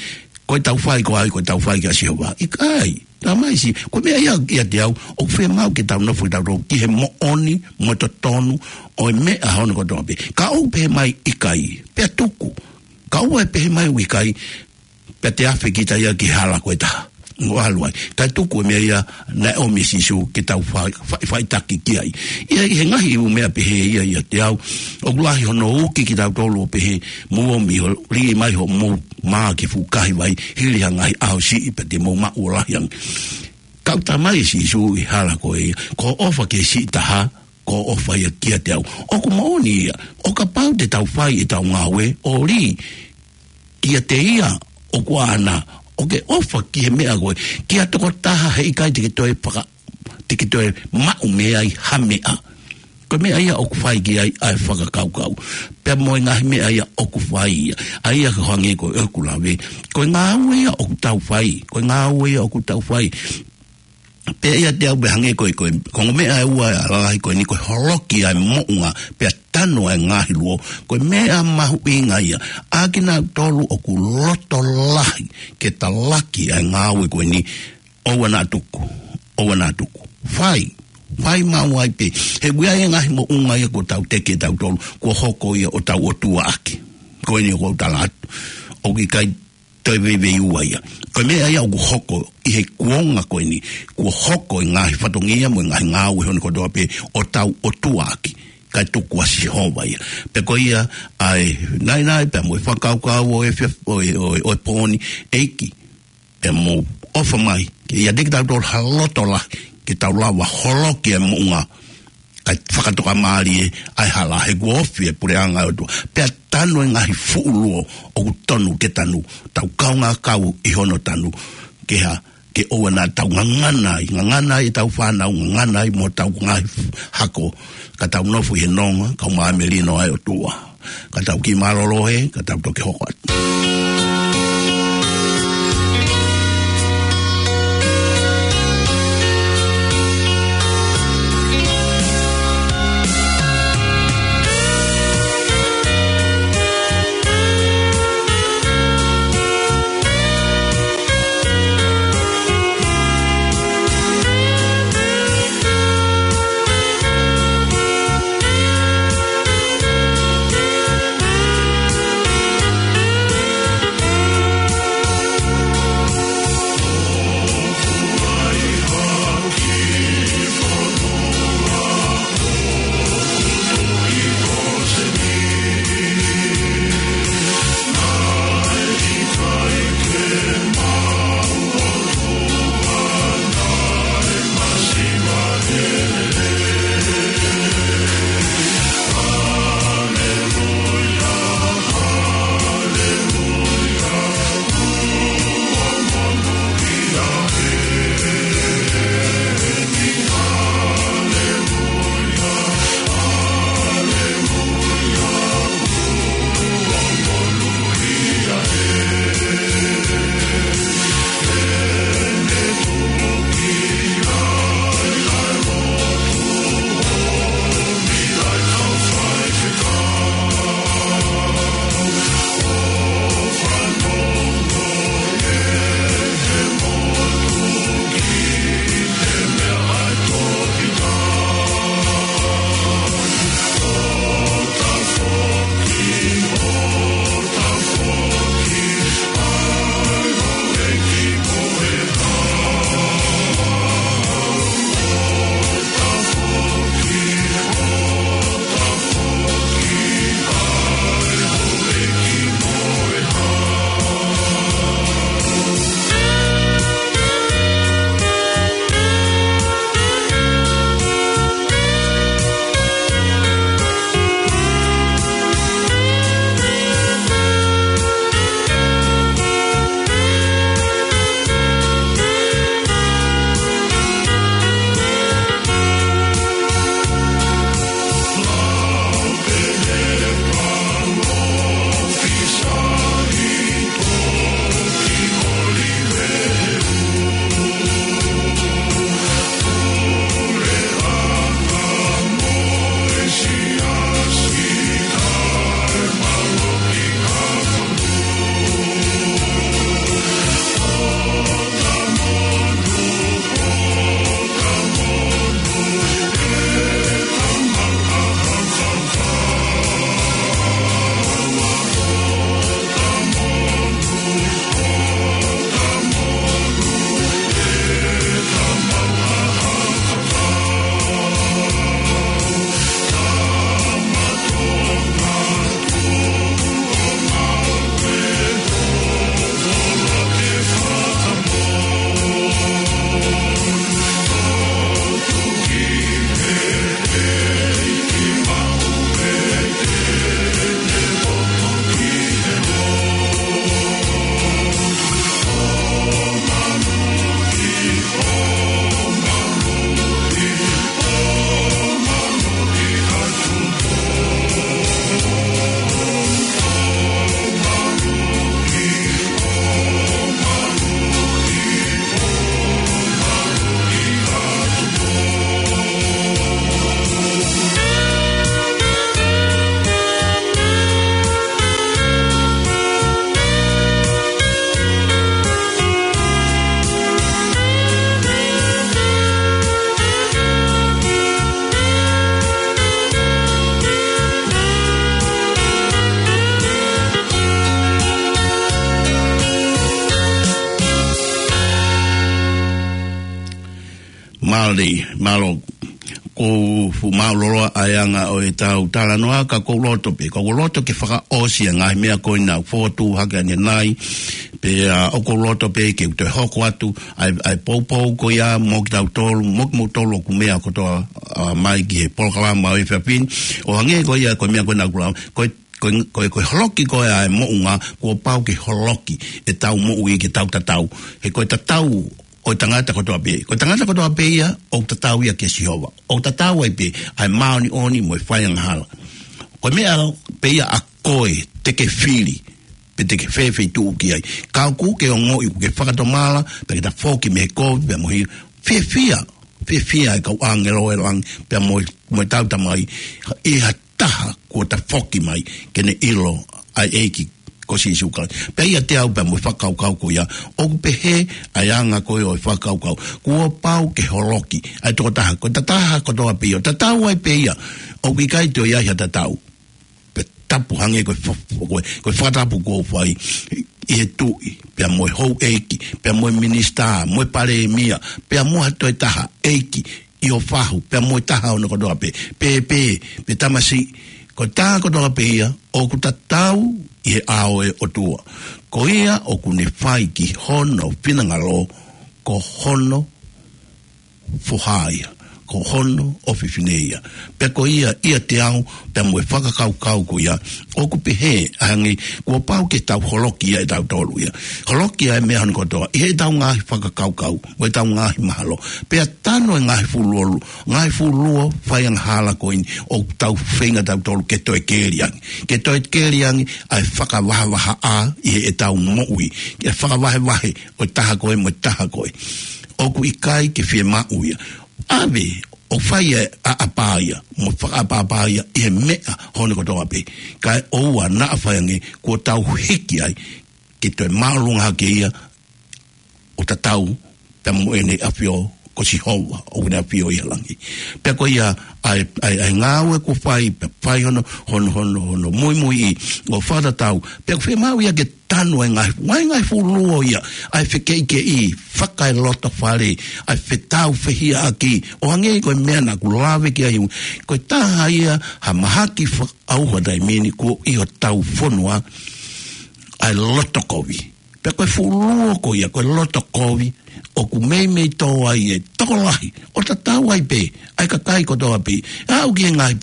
ko ʻetau fai ko hai, ko ʻetau fai kia Sihova? ʻIkai. Tala mai ʻe Sī-, ko e meʻa ia, ʻiate au, ʻoku fiemaʻu ke tau nofo tautolu ki he moʻoni mo e totonu ʻo e meʻa hono kotoa pē. Ka ʻoku pehē mai ʻikai, pea tuku. Ka ʻoua ʻe pehē mai ʻoku ʻikai, pea te afe kita ia ki he hala ko e taha. ʻO ʻalu ai. Kae tuku e meʻa ia naʻe ʻomi ʻe Sīsū ke tau fai, fai, faitaki ki ai. ʻI he, ʻi he ngaahi ʻū meʻa pehē ia ʻiate au, ʻoku lahi hono uki kitautolu ʻo pehē, mou ō mai ʻo liʻi mai hoʻomou mā ki he fuʻu kahi vai, hili ha ngaahi ʻaho siʻi pea te mou maʻu ʻo lahi ange. Ka ʻoku tala mai ʻe Sīsū ʻi he hala ko ia, ko e ʻofa ki he siʻi taha, ko e ʻofa ia kiate au. ʻOku moʻoni ia, ʻo kapau te tau fai ʻetau ngāue, ʻo lī kiate ia ʻoku ʻaʻana, ʻo ke ʻofa ki he meʻa ko ē, ki ha tokotaha he ʻikai te ke toe faka-, te ke toe maʻu mei ai ha meʻa. Ko e meʻa ia ʻoku fai ki ai ʻa e fakakaukau. Pea mo e ngaahi meʻa ia ʻoku fai ia. ʻA ia ko e hangē ko ʻeku lave. Ko e ngāue ia ʻoku tau fai. Ko e ngāue ia ʻoku tau fai. Pea ʻiate au pē hangē ko e, ko e, ko e meʻa ʻe ua ʻa e lalahi ko eni ko e holoki ʻa e moʻunga. Pea tanu ʻa e ngaahi luo. Ko e meʻa mahuʻinga ia. ʻA kinautolu ʻoku loto lahi ke talaki ʻa e ngāue ko eni. ʻOua naʻa tuku, ʻoua naʻa tuku. Fai, fai maʻu ai pē. He ʻoku ʻi ai e ngaahi moʻunga ia kuo tau teke ʻe tautolu, kuo hoko ia ʻo tau ʻotua ʻaki. Ko eni ʻoku ou tala atu. ʻOku ʻikai toe veiveiua ia. Ko e meʻa ia ʻoku hoko ʻi he kuonga ko eni. Kuo hoko e ngaahi fatongia mo e ngaahi ngāue hono kotoa pē ʻo tau ʻotua ʻaki. Kae tuku ʻa Sihova ia. Pea ko ia ʻa e naʻinaʻi pea mo e fakakaukau ʻo e fia-, ʻo e, ʻo e, ʻo e pō ni, ʻEiki. Pea mou ʻofa mai, ke ʻiate kitautolu ha loto lahi, ke tau lava holoki e moʻunga, kae fakatokamālie ʻa e hala he kuo ofi e puleʻanga ʻo e ʻOtua. Pea tanu e ngaahi fuʻu luo ʻoku tonu ke tanu. Tau kaungā kau ʻi hono tanu. Ke hā, ke ʻoua naʻa tau ngangana ai, ngangana ai ʻetau fānau, ngangana ai mo hotau ngaahi hako. Ka tau nofo ʻi he nonga, kau māmani ʻo e ʻOtua. Ka tau kiʻi mālōlō he, ka tau toki hoko atu. Mālō, mālō. Ko u fuʻu mālōlō ʻa e anga ʻo ʻetau talanoa ka ko u loto pē, ka ko u loto ke fakaʻosi ʻa e ngaahi meʻa ko ena ʻoku fotu hake ʻanenai. Pea ʻoku ou loto pē ke u toe hoko atu ʻa e, ʻa e poupou ko ia mo kitautolu, mo kimoutolu ʻoku meʻa kotoa, ʻa, mai ki he polokalama ʻo e efiafi ni. ʻO hangē ko ia, ko e meʻa ko ē naʻa ku lau, ko e, ko e, ko e, ko e holoki ko ē ʻa e moʻunga, kuo pau ke holoki ʻetau moʻui ke tau tatau. He ko e tatau ʻo e tangata kotoa pē. Ko e tangata kotoa pē ia, ʻoku tatau ia kia Sihova. ʻOku tatau ai pē ʻa e māʻoniʻoni mo e faiangahala. Ko e meʻa pē ia ʻa koe te ke fili, pe te ke fēfē tuʻu ki ai. Ka ʻoku ke ongoʻi, ʻoku ke fakatomala, pea ke tafoki mei he kovi, pea mo e hia. Fiefia, fiefia ʻa e kau ʻāngelo ʻo e langi, pea mo, mo ʻetau Tamai, ʻi ha taha kuo tafoki mai, ke ne ʻilo ʻa e ʻEiki ko Sīsū Kalaisi. Pea ʻiate au pea mo e fakakaukau ko ia, ʻoku pehē ʻa e anga ko ē ʻo e fakakaukau. Kuo pau ke holoki ʻa e tokotaha, ko e tangata kotoa pē ia, ʻoku tatau ai pē ia, ʻoku ʻikai toe ʻi ai ha tatau. Pea tapu hangē ko e fa-, ko e, ko e fakatapu kuo u fai ʻi he tuʻi, pea mo e houʻeiki, pea mo e minisitā, mo e palēmia, pea mo ha toe taha ʻeiki ʻi ʻofaʻofa, pea mo e taha ʻo hono kotoa pē, pēpē, pe tamasiʻi, ko e taha kotoa pē ia, ʻoku tatau ʻi he ʻao ʻo e ʻOtua. Ko ia ʻoku ne fai ki hono finangalo, ko hono foha ia, ko hono ʻofefine ia. Pea ko ia ʻiate au, pea mo e fakakaukau ko ia, ʻoku pehē, hangē, kuo pau ke tau holoki ia ʻetautolu ia. Holoki ʻa e meʻa hono kotoa, ʻi heʻetau ngaahi fakakaukau, mo ʻetau ngaahi mahalo. Pea tanu e ngaahi fuluo, ngaahi fuluo faiangahala ko eni, ʻoku tau feinga tautolu ke toe keli ange. Ke toe keli ange, ʻa e fakavahavahaʻa ʻi heʻetau moʻui. Ke fakavahevahe, ʻo e taha ko ē mo e taha ko ē. ʻOku ʻikai ke fiemaʻu ia. ʻAve ʻo fai e ʻaʻapa ia, mo fakaʻapaʻapa ia ʻi he meʻa hono kotoa pē. Kae ʻoua naʻa fai ange kuo tau hiki ai ke toe māʻolunga hake ia ʻo tatau pea mo ʻene ʻAfio ko Sihova, ʻoku ne ʻafio ʻi he langi. Pea ko ia ʻa e, ʻa e, ʻa e ngāue kuo fai, pea fai hono, hono, hono, hono muimuiʻi ʻo fakatatau. Pea ʻoku fiemaʻu ia ke tanu e ngaahi, ngaahi, ngaahi fuluo ia, ʻa e fekeʻikeʻi, fakaelotofale, ʻa e fetaufehiʻaki, ʻo hangē ko e meʻa naʻa ku lave ki ai, ko e taha ia ha mahaki fakaʻauha taimi ni kuo ʻi hotau fonua, ʻa e loto kovi. Pea ko e fuluo ko ia, ko e loto kovi, ʻoku meimei tō ai e tokolahi, ʻo tatau ai pē ʻa e kakai kotoa pē, aʻu ki he ngaahi,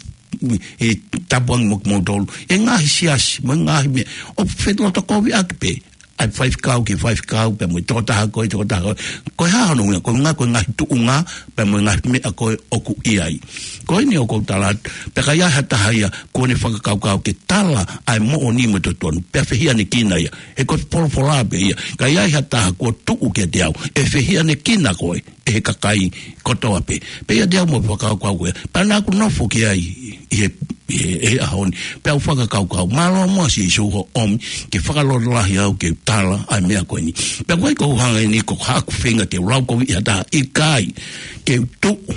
e tapuangi mo kimoutolu, e ngaahi siasi, mo e ngaahi meʻa, ʻo felotokoviʻaki pē ʻa e faifekau ki he faifekau, pea mo e tokotaha ko ē, tokotaha ko ē. Ko e hā hono ʻuhinga? Ko e ʻuhinga ko e ngaahi tuʻunga, pea mo e ngaahi meʻa ko ē ʻoku ʻi ai. Ko eni ʻoku ou tala atu, pea ka ʻi ai ha taha ia kuo ne fakakaukau ke tala ʻa e moʻoni mo e totonu, pea fehiʻanekina ia. He ko e folofola pē ia, ka ʻi ai ha taha kuo tuʻu kiate au, ʻe fehiʻanekina koe ʻe he kakai kotoa pē. Pea ʻiate au mo e fakakaukau ko ia, pea naʻa ku nofo ki ai ʻi he, ʻi he, ʻi he ʻaho ni. Pea u fakakaukau, mālō muʻa Sīsū hoʻo ʻomi ke fakalotolahi au ke u tala ʻa e meʻa ko eni. Pea ko e ʻuhinga eni ko haʻaku feinga ke u lau kovi ʻi ha taha, ʻikai, ke u tuʻu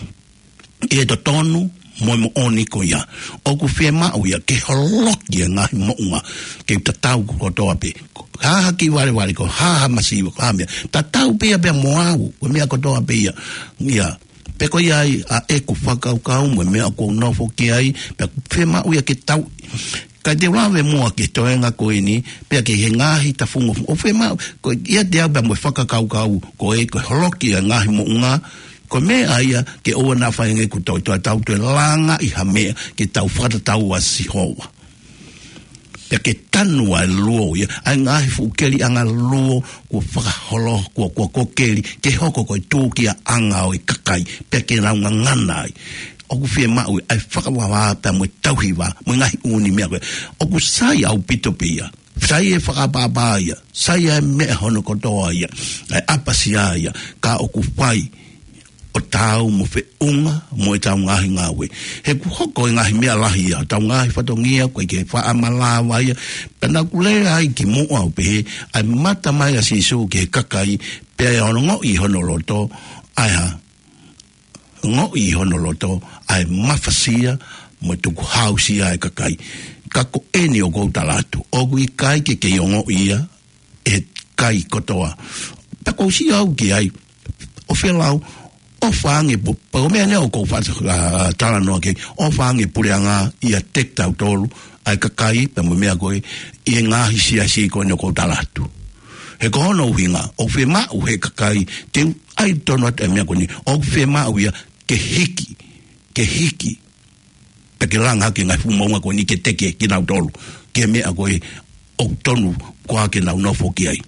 ʻi he totonu mo e moʻoni ko ia. ʻOku fiemaʻu ia ke holoki e ngaahi moʻunga, ke u tatau kotoa pē. Ko e hā ha kiʻi valevale, ko e hā ha masiva, ko e hā meʻa, tatau pē ia pea mo au, ko e meʻa kotoa pē ia. Ia, pea ko ia ai ʻa ʻeku fakakaukau mo e meʻa ʻoku ou nofo ki ai, pea ʻoku fiemaʻu ia ke tau, ka te u lave muʻa ki he toenga ko eni, pea ki he ngaahi tafungofunga. ʻOku fiemaʻu, ko ia ʻiate au pea mo e fakakaukau ko ē, ko e holoki e ngaahi moʻunga, ko e meʻa ia ke ʻoua naʻa fai ange kuo tau toe, tau toe langa ʻi ha meʻa ke tau fakatatau ʻa Sihova. Pea ke tanu ʻa e luo ia, ʻa e ngaahi fuʻu keliʻanga luo kuo fakaholo, kuo, kuo, kuo keli, ke hoko ko e tūkiaʻanga ʻo e kakai, pea ke nau ngangana ai. ʻOku fiemaʻu ʻa e fakavavā pea mo e tauhi vā, mo e ngaahi ʻū meʻa ko ē. ʻOku sai ʻaupito pē ia. Sai e fakaʻapaʻapa ia. Sai e meʻa hono kotoa ia. ʻA e ʻapasia ia. Ka ʻoku fai ʻo taau mo feʻunga mo ʻetau ngaahi ngāue. He kuo hoko e ngaahi meʻa lahi ia, ʻetau ngaahi fatongia, ko e ke faʻa malava ia. Pea naʻa ku lea ai ki muʻa ʻo pehē, ʻa e mata mai ʻa Sīsū ki he kakai, pea ʻe ongoʻi hono loto, ʻa e hā? Ongoʻi hono loto, ʻa e mafasia, mo e tukuhāusia e kakai. Ka ko eni ʻoku ou tala atu, ʻoku ʻikai ke kei ongoʻi ia, ʻe he kakai kotoa. Pea ʻoku ou sio au ki ai, ʻo felau, ʻofa ange pu-, pea ko e meʻa eni ʻoku ou fata-, ʻa, talanoa ki ai, ʻofa ange puleʻanga ʻiate kitautolu, ʻa e kakai, pea mo e meʻa ko ē, ʻi he ngaahi siasi ko eni ʻoku ou tala atu. He ko hono ʻuhinga, ʻoku fiemaʻu he kakai, te u ʻai tonu atu e meʻa ko eni, ʻoku fiemaʻu ia ke hiki, ke hiki, pea ke langa hake e ngaahi fuʻu moʻunga ko eni ke teke kinautolu, ki he meʻa ko ē ʻoku tonu koā ke nau nofo ki ai.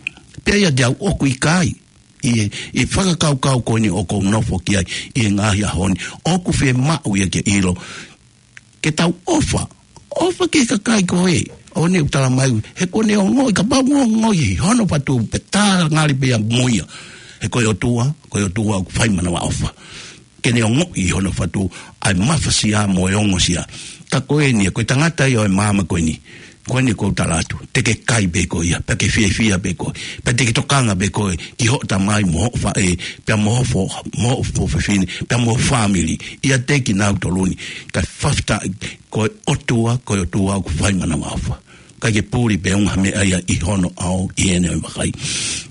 Pea ʻiate au ʻoku ʻikai, ʻi he, ʻi he fakakaukau ko eni ʻoku ou nofo ki ai, ʻi he ngaahi ʻaho ni, ʻoku fiemaʻu ia ke ʻilo, ke tau ʻofa. ʻOfa ki he kakai ko ē ʻoku ne tala mai, he ʻoku ne ongoʻi, kapau ʻoku ongoʻi ʻi hono fatu, pea tā ngali pē ia mo ia. He ko e ʻOtua, ko e ʻOtua ʻoku fai manavaʻofa. Ke ne ongoʻi ʻi hono fatu ʻa e mafasia mo e ongosia. Ka ko eni, ko e tangata ia ʻo e maama ko eni. Ko eni ʻoku ou tala atu, te ke kai pē koe ia, pea ke fiefia pē koe, pea te ke tokanga pē koe ki hoʻo tamai mo hoʻo faʻē, pea mo hoʻo fo-, mo hoʻo fefine, pea mo hoʻo fāmili, ʻiate kinautolu ni. Kae fakafetaʻi, ko e ʻOtua, ko e ʻOtua ʻoku fai manavaʻofa. ʻIkai ke puli pē ʻunga ha meʻa ia ʻi hono ʻao, ʻi heʻene vakai.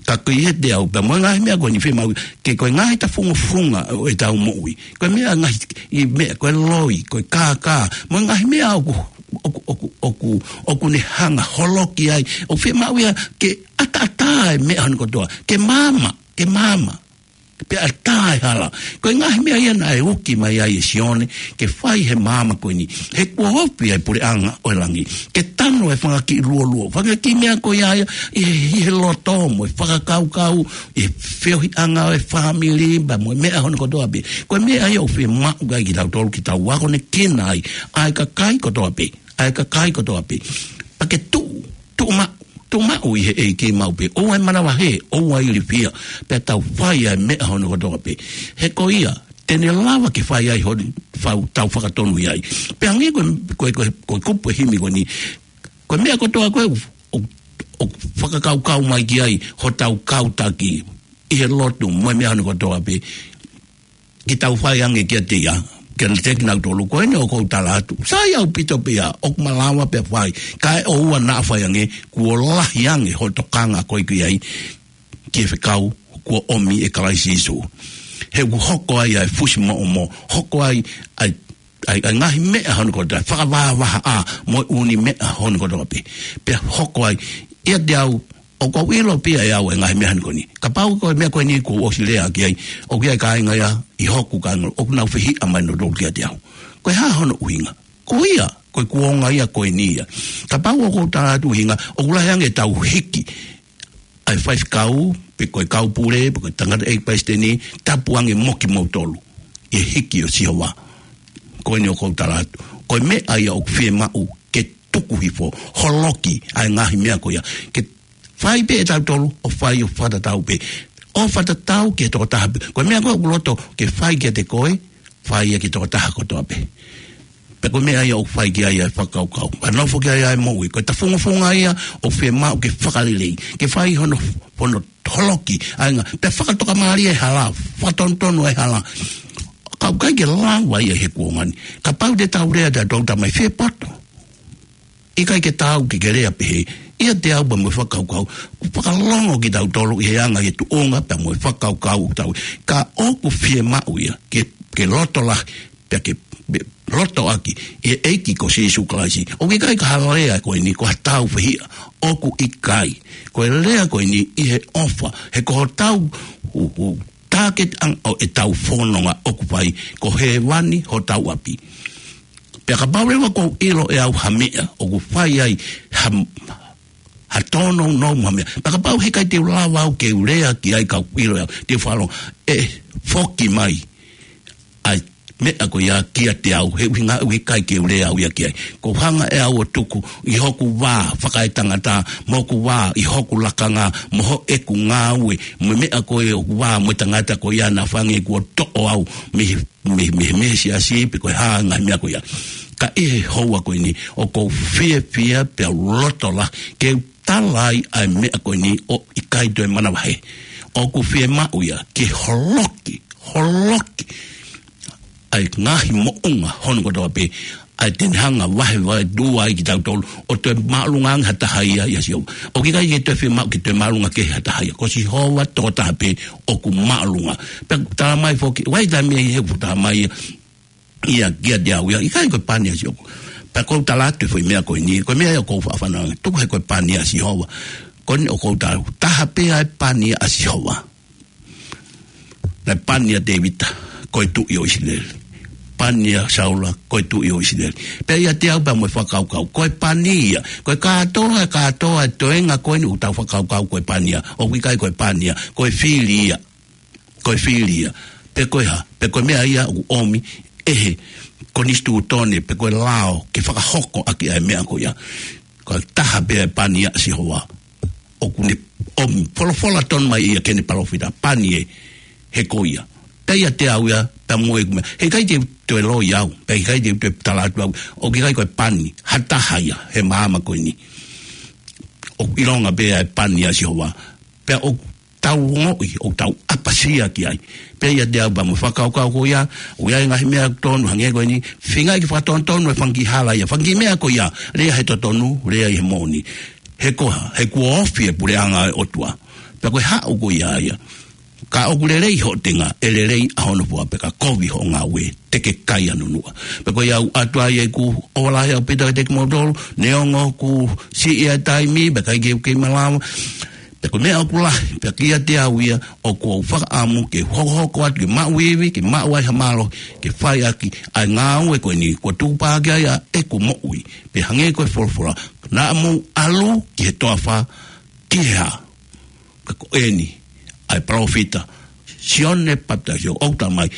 Ka ko ia ʻiate au, pea mo e ngaahi meʻa ko eni fiemaʻu, ke ko e ngaahi tafungofunga ʻo ʻetau moʻui. Ko e meʻa ngaahi, ʻi meʻa, ko e loi, ko e kākā, mo e ngaahi meʻa ʻoku, ʻoku, ʻoku, ʻoku, ʻoku ne hanga holoki ai. ʻOku fiemaʻu ia ke ʻataʻatā e meʻa hono kotoa, ke maama, ke maama. Pea ʻatā e hala. Ko e ngaahi meʻa ia naʻe uki mai ai ʻe Sione, ke fai he maama ko eni. He kuo ofi ʻa e puleʻanga ʻo e langi. Ke tanu e fanga kiʻi luoluo. Fanga kiʻi meʻa ko ia ia, ʻi he, ʻi he loto mo e fakakaukau, ʻi he feohiʻanga ʻo e fāmili, pea mo e meʻa hono kotoa pē. Ko e meʻa ia ʻoku fiemaʻu ai kitautolu ke tau akonekina ai, ʻa e kakai kotoa pē, ʻa e kakai kotoa pē. Pea ke tuʻu, tuʻu maʻu, tuʻu maʻu ʻi he ʻEiki maʻu pē, ʻoua ʻe manavahē, ʻoua ʻe ilifia, pea tau fai ʻa e meʻa hono kotoa pē. He ko ia, te ne lava ke fai ai hono fau tau fakatonu ʻi ai. Pea hangē ko e, ko e, ko e, ko e kupu e himi ko eni, ko e meʻa kotoa ko ē ʻoku, ʻoku, ʻoku fakakaukau mai ki ai hotau kau taki ʻi he lotu mo e meʻa hono kotoa pē, ke tau fai ange kiate ia, kiate kinautolu ko eni ʻoku ou tala atu. Sai ʻaupito pē ia, ʻoku malava pē fai, kae ʻoua naʻa fai ange, kuo lahi ange hoʻo tokanga ko ē ki ai, ki he fekau kuo ʻomi ʻe Kalaisi Sīsū. He ʻoku hoko ai ʻa e fusimoʻomo, hoko ai ʻa e, ʻa e, ʻa e ngaahi meʻa hono kotoa, fakavahavahaʻa mo e ʻū meʻa hono kotoa pē. Pea hoko ai, ʻiate au, ʻoku ou ʻilo pē ia ʻe au e ngaahi meʻa hono ko eni. Kapau ko e meʻa ko eni kuo u ʻosi lea ki ai, ʻoku ʻi ai e kāinga ia ʻi hoku kāinga, ʻoku nau fehiʻa mai nautolu kiate au. Ko e hā hono ʻuhinga? Ko ia, ko e kuonga ia ko eni ia. Kapau ʻoku ou tala atu ʻuhinga, ʻoku lahi ange ʻetau hiki ʻa e faifekau, pe ko e kau pule, pe ko e tangataʻeiki palesiteni, tapu ange mo kimoutolu ʻi he hiki ʻo Sihova. Ko eni ʻoku ou tala atu, ko e meʻa ia ʻoku fiemaʻu ke tuku hifo, holoki ʻa e ngaahi meʻa ko ia. Ke fai pē ʻetautolu, ʻo fai ʻo fakatatau pē. ʻO fakatatau ki he tokotaha pē. Ko e meʻa ko ē ʻoku loto ke fai kiate koe, fai ia ki he tokotaha kotoa pē. Pea ko e meʻa ia ʻoku fai ki ai ʻa e fakakaukau. Pea nofo ki ai ʻa e moʻui. Ko e tafungofunga ia ʻoku fiemaʻu ke fakalelei. Ke fai hono, hono holoki. ʻA e ngaahi, pea fakatokamālie e hala. Fakatonutonu e hala. Ka ʻoku ʻikai ke lava ia he kuonga ni. Kapau te tau lea ʻa e tau tamai fie poto. ʻIkai ke tau ke ke lea pehē, ʻiate au pea mo e fakakaukau, ʻoku fakalongo kitautolu ʻi he anga ʻi he tuʻunga pea mo e fakakaukau ʻoku tau. Ka ʻoku fiemaʻu ia, ke, ke loto lahi, pea ke, ke loto ʻaki, ʻi he ʻEiki ko Sīsū Kalaisi. ʻOku ʻikai ko ha lea ko eni, ko ha tau fehiʻa, ʻoku ʻikai. Ko e lea ko eni, ʻi he ʻofa, he ko hotau, u, u, tāketi ʻanga ʻo ʻetau fononga ʻoku fai, ko hēvani hotau ʻapi. Pea kapau leva ʻoku ou ʻilo ʻe au ha meʻa, ʻoku fai ai ha, ha tōnounou mo ha meʻa. Pea kapau he ʻikai te u lava au ke u lea ki ai ka u ʻilo ʻe au, te u fakalongo, ʻe foki mai ʻa e meʻa ko ia kiate au, he ʻuhinga ʻoku ʻikai ke u lea au ia ki ai. ʻOku ou hanga ʻe au ʻo tuku ʻi hoku vā fakaetangata, mo hoku vā ʻi hoku lakanga, mo hoku ngāue, mo e meʻa ko ē ʻoku vā mo e tangata ko ia naʻa fai ange kuo toʻo au mei he mei, mei, mei he siasi pe ko e hā e ngaahi meʻa ko ia. Ka ʻi he houa ko eni, ʻoku ou fiefia pea u loto lahi, ke u tala ai ʻa e meʻa ko eni ʻoku ʻikai toe manavahē. ʻOku fiemaʻu ia, ke holoki, holoki ʻa e ngaahi moʻunga hono kotoa pē, ʻa e te ne hanga vahevahe tua ai kitautolu, ʻo toe māʻolunga ange ha taha ia, ʻia Sihova. ʻOku ʻikai ke toe fiemaʻu ke toe māʻolunga kehe ha taha ia. Ko Sihova tokotaha pē ʻoku māʻolunga. Pea tala mai foki, ʻoku ʻi ai e taimi ia he ʻoku tala mai ia, ia kiate au ia, ʻikai ko e pani ʻa Sihova. Pea ʻoku ou tala atu e foʻi meʻa ko eni, ko e meʻa ia ʻoku ou faʻa fanongo ange, tuku he ko e pani ʻa Sihova. Ko eni ʻoku ou tala, taha pē ʻa e pani ʻa Sihova. Naʻe pani ʻa Tēvita, ko e tuʻi ʻo ʻIsileli. Pani ʻa Saula, ko e tuʻi ʻo ʻIsileli. Pea ʻiate au pea mo e fakakaukau, ko e pani ia. Ko e kātoa, kātoa e toenga ko eni ʻoku tau fakakaukau ko e pani ia. ʻOku ʻikai ko e pani ia, ko e fili ia. Ko e fili ia. Pe ko e hā, pe ko e meʻa ia ʻoku ʻomi ʻe he konisitūtone, pe ko e lao, ke fakahoko ʻaki ʻa e meʻa ko ia. Ko e taha pē ʻa e pani ʻa Sihova. ʻOku ne ʻomi, folofola tonu mai ia ki heʻene palōfita, pani ē, he ko ia. Pea ʻiate au ia, pea mo e meʻa. Heʻikai te u toe loi au, pea heʻikai te u toe tala atu au. ʻOku ʻikai ko e pani, ha taha ia, he māmani ko eni. ʻOku ʻilonga pē ʻa e pani ʻa Sihova. Pea ʻoku tau ongoʻi, ʻoku tau ʻapasia ki ai. Pea ʻiate au pea mo e fakakaukau ko ia, ʻoku ʻi ai e ngaahi meʻa tonu hangē ko eni, feinga ke fakatonutonu e fanga kiʻi hala ia, fanga kiʻi meʻa ko ia, lea he totonu, lea ʻi he moʻoni. He ko e hā, he kuo ofi e puleʻanga ʻo e ʻOtua. Pea ko e haʻu ko ia ia. Ka ʻoku lelei hoʻo tenga, ʻe lelei ʻa hono fua, pea ka kovi hoʻo ngāue, te ke kai ʻa nunuʻa. Pea ko ia ʻoku ʻatu ai ʻeku ʻofa lahi ʻaupito kiate kimoutolu, neongo kuo siʻi ʻa e taimi, pea ʻikai ke u kei malava. Pea ko e meʻa ʻoku lahi, pea kiate au ia, ʻoku ou fakaʻamu ke hokohoko atu, ke maʻu ivi, ke maʻu ai ha mālohi, ke fai ʻaki ʻa e ngāue ko eni, kuo tuku pē ki ai ʻa ʻeku moʻui. Pea hangē ko e folofola, naʻa mou ʻalu ki he toafa, ki he hā. Ka ko eni, ʻa e palōfita, Sione Papitaiso, ʻoku tala mai,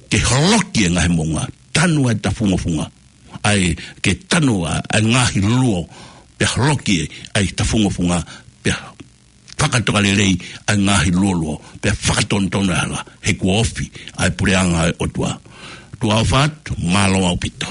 ke holoki e ngaahi moʻunga, tanu ʻa e tafungofunga. ʻA e ke tanu ʻa, ʻa e ngaahi luo, pea holoki e, ʻa e tafungofunga, pea fakatokalelei ʻa e ngaahi luoluo, pea fakatonutonu ʻa e hala, he kuo ofi ʻa e puleʻanga ʻo e ʻOtua. Tuʻa ʻofa atu, mālō ʻaupito.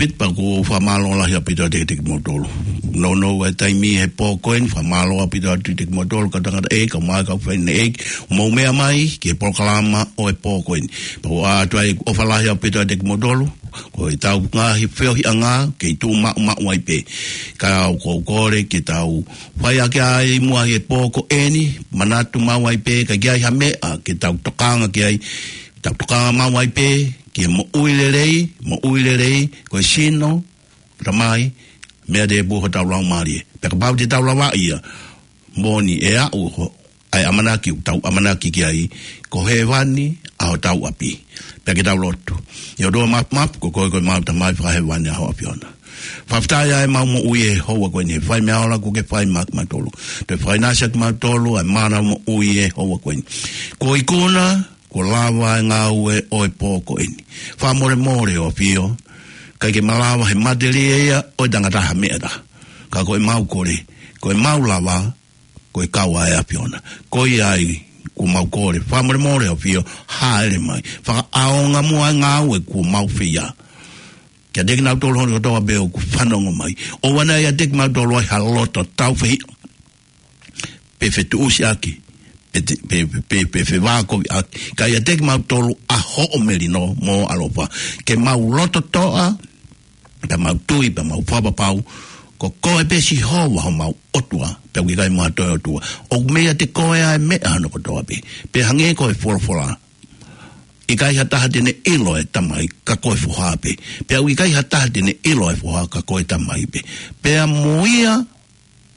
Pita pea ʻoku ou fakamālō lahi ʻaupito atu kiate kimoutolu. Nounou e taimi he pō ko eni, fakamālō ʻaupito atu kiate kimoutolu, kau tangataʻeiki, kau mai, kau fefine ʻeiki, mou meʻa mai ki he polokalama ʻo e pō ko eni. Pea ʻoku ʻoatu ai ʻofa lahi ʻaupito atu kiate kimoutolu, ko ʻetau ngaahi feohiʻanga, kei tuʻu maʻumaʻu ai pē. Ka ʻoku ou kole ke tau fai ʻaki ʻa e muʻa he pō ko eni, manatu maʻu ai pē, ka ʻi ai ha meʻa ke tau tokanga ki ai, tau tokanga maʻu ai pē, ki he moʻui lelei, moʻui lelei, ko e sino, tamai, meʻa tēpū hotau laumālie. Pea kapau te tau lavaʻi ia, moʻoni ʻe aʻu ho, ʻa e ʻamanaki, tau ʻamanaki ki ai, ko hēvani ʻa hotau ʻapi. Pea ke tau lotu. ʻE ʻOtua Mafimafi, ko koe ko ʻemau Tamai fakahēvani ʻa ho ʻAfiona. Fakafetaʻi ʻa ʻemau moʻui he houa ko eni, he fai meʻa ola kuo ke fai maʻa kimautolu. Toe fakaʻinasi ʻa kimautolu, ʻa e mana moʻui he houa ko eni. Kuo ikuna, kuo lava e ngāue ʻo e pō ko eni. Fakamolemole ʻo ʻAfio, ʻikai ke malava he matelie ia ʻo e tangata ha meʻa taha. Ka ko ʻemau kole, ko ʻemau lava, ko e kau ʻa e ʻAfiona. Ko ia ai, kuo mau kole. Fakamolemole ʻo ʻAfio, hāʻele mai. Fakaʻaonga muʻa e ngāue kuo mau fai. Kiate kinautolu hono kotoa pē ʻoku fanongo mai. ʻOua naʻa ʻiate kimautolu ai ha loto tāufehiʻa. Pe fetuʻusiʻaki. Pe te, pe, pe, pe, pe fevākoviʻaki. Ka ʻiate kimautolu ʻa hoʻo melino mo ʻaloʻofa. Ke mau loto toʻa, pea mau tui, pea mau fakapapau. Ko koe pē Sihova homau ʻOtua, pea ʻoku ʻikai mo ha toe ʻotua. ʻOku mei ʻiate koe ʻa e meʻa hono kotoa pē. Pea hangē ko e folofola. ʻIkai ha taha te ne ʻilo e Tamai ka ko e Foha pē. Pea ʻoku ʻikai ha taha te ne ʻilo e Foha ka ko e Tamai pē. Pea mo ia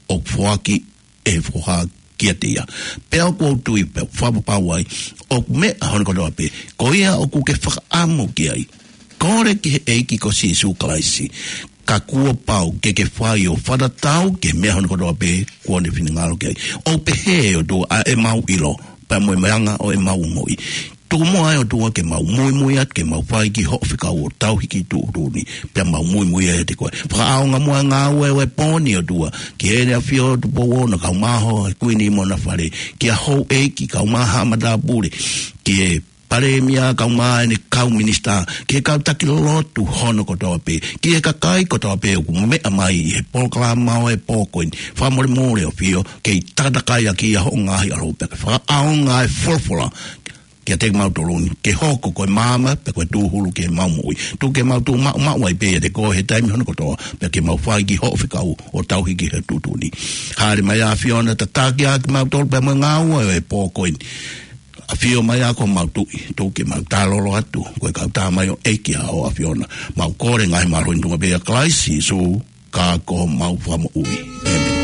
ʻoku foaki ʻe he Foha kiate ia. Pea ʻoku ou tui pea fakapapau ai, ʻoku meʻa hono kotoa pē. Ko ia ʻoku ke fakaʻamu ki ai. Kole ki he ʻEiki ko Sīsū Kalaisi. Ka kuo pau ke ke fai ʻo fakatatau ki he meʻa hono kotoa pē kuo ne finangalo ki ai. ʻOku pehē ʻe ʻOtua ʻa ʻemau ʻilo, pea mo e meʻa ʻa ʻemau ongoʻi. Tuku muʻa ʻe ʻOtua ke mau muimui atu, ke mau fai ki hoʻo fekau ʻo tauhi ki tuʻutuʻuni, pea mau muimui ʻiate koe. Fakaʻaonga muʻa e ngāue ʻo e pō ni ʻOtua, ki Heʻene ʻAfio Tupou Ono, kaeʻumaʻā e Kuini mo ʻena fale, ki he houʻeiki, kaeʻumaʻā e matāpule, ki he Palēmia, kaeʻumaʻā ʻene kau minisitā, ki he kau taki lotu hono kotoa pē, ki he kakai kotoa pē ʻoku meʻa mai ʻi he polokalama ʻo e pō ko eni. Fakamolemole ʻo ʻAfio, kei takatakai ʻaki ʻa hoʻo ngaahi ʻAlo pē. Fakaʻaonga e folofola kiate kimautolu ni, ke hoko ko e maama, pea ko e tūhulu ki heʻemau moʻui. Tuku ke mau tuʻu maʻumaʻu ai pē ʻiate koe he taimi hono kotoa, pea ke mau fai ki hoʻo fekau ʻo tauhi ki he tuʻutuʻuni. Hāʻele mai ʻa e ʻAfiona, tataki ʻa kimautolu pea mo e ngāue ʻo e pō ko eni. ʻAfio mai ʻa ko homau Tuʻi, tuku ke mau tālolo atu, ko e kau tamaioʻeiki ʻa ho ʻAfiona. Mau kole e ngaahi mālohi ni ʻi he huafa pē ʻo Kalaisi Sīsū, ka ko homau Fakamoʻui. ʻĒmeni.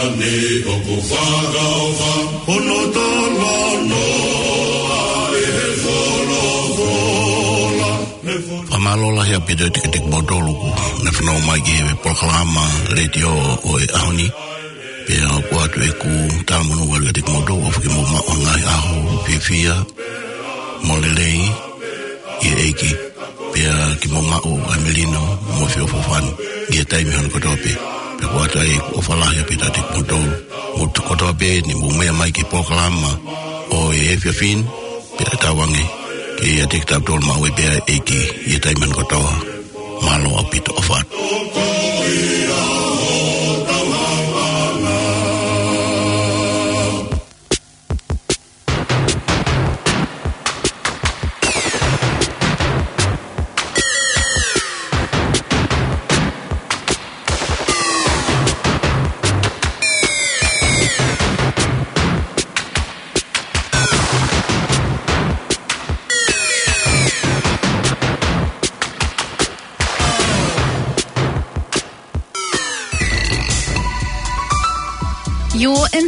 Ni ʻoku fakaʻofa, hono talanoa ʻe he folofola. Fakamālō lahi ʻaupito kiate kimoutolu kuo nau fanongo mai ki he polokalama letiō ʻo e ʻaho ni. Pea ʻoku ʻoatu ʻeku talamonū atu kiate kimoutolu ʻofa ke mou maʻu ha ngaahi ʻaho fiefia mo lelei ʻi he ʻEiki. Pea ke mou maʻu ʻa e melino mo e feʻofoʻofani ʻi he taimi hono kotoa pē. Pea ʻoku ʻoatu ai ʻeku ʻofa lahi ʻaupito kiate kimoutolu. Mou kotoa pē ni mou meʻa mai ki he polokalama ʻo e efiafi ni, pea tauange ke ʻiate kitautolu maʻu ai pē ʻa e ʻEiki ʻi he taimi hono kotoa. Mālō ʻaupito, ʻofa atu. You're in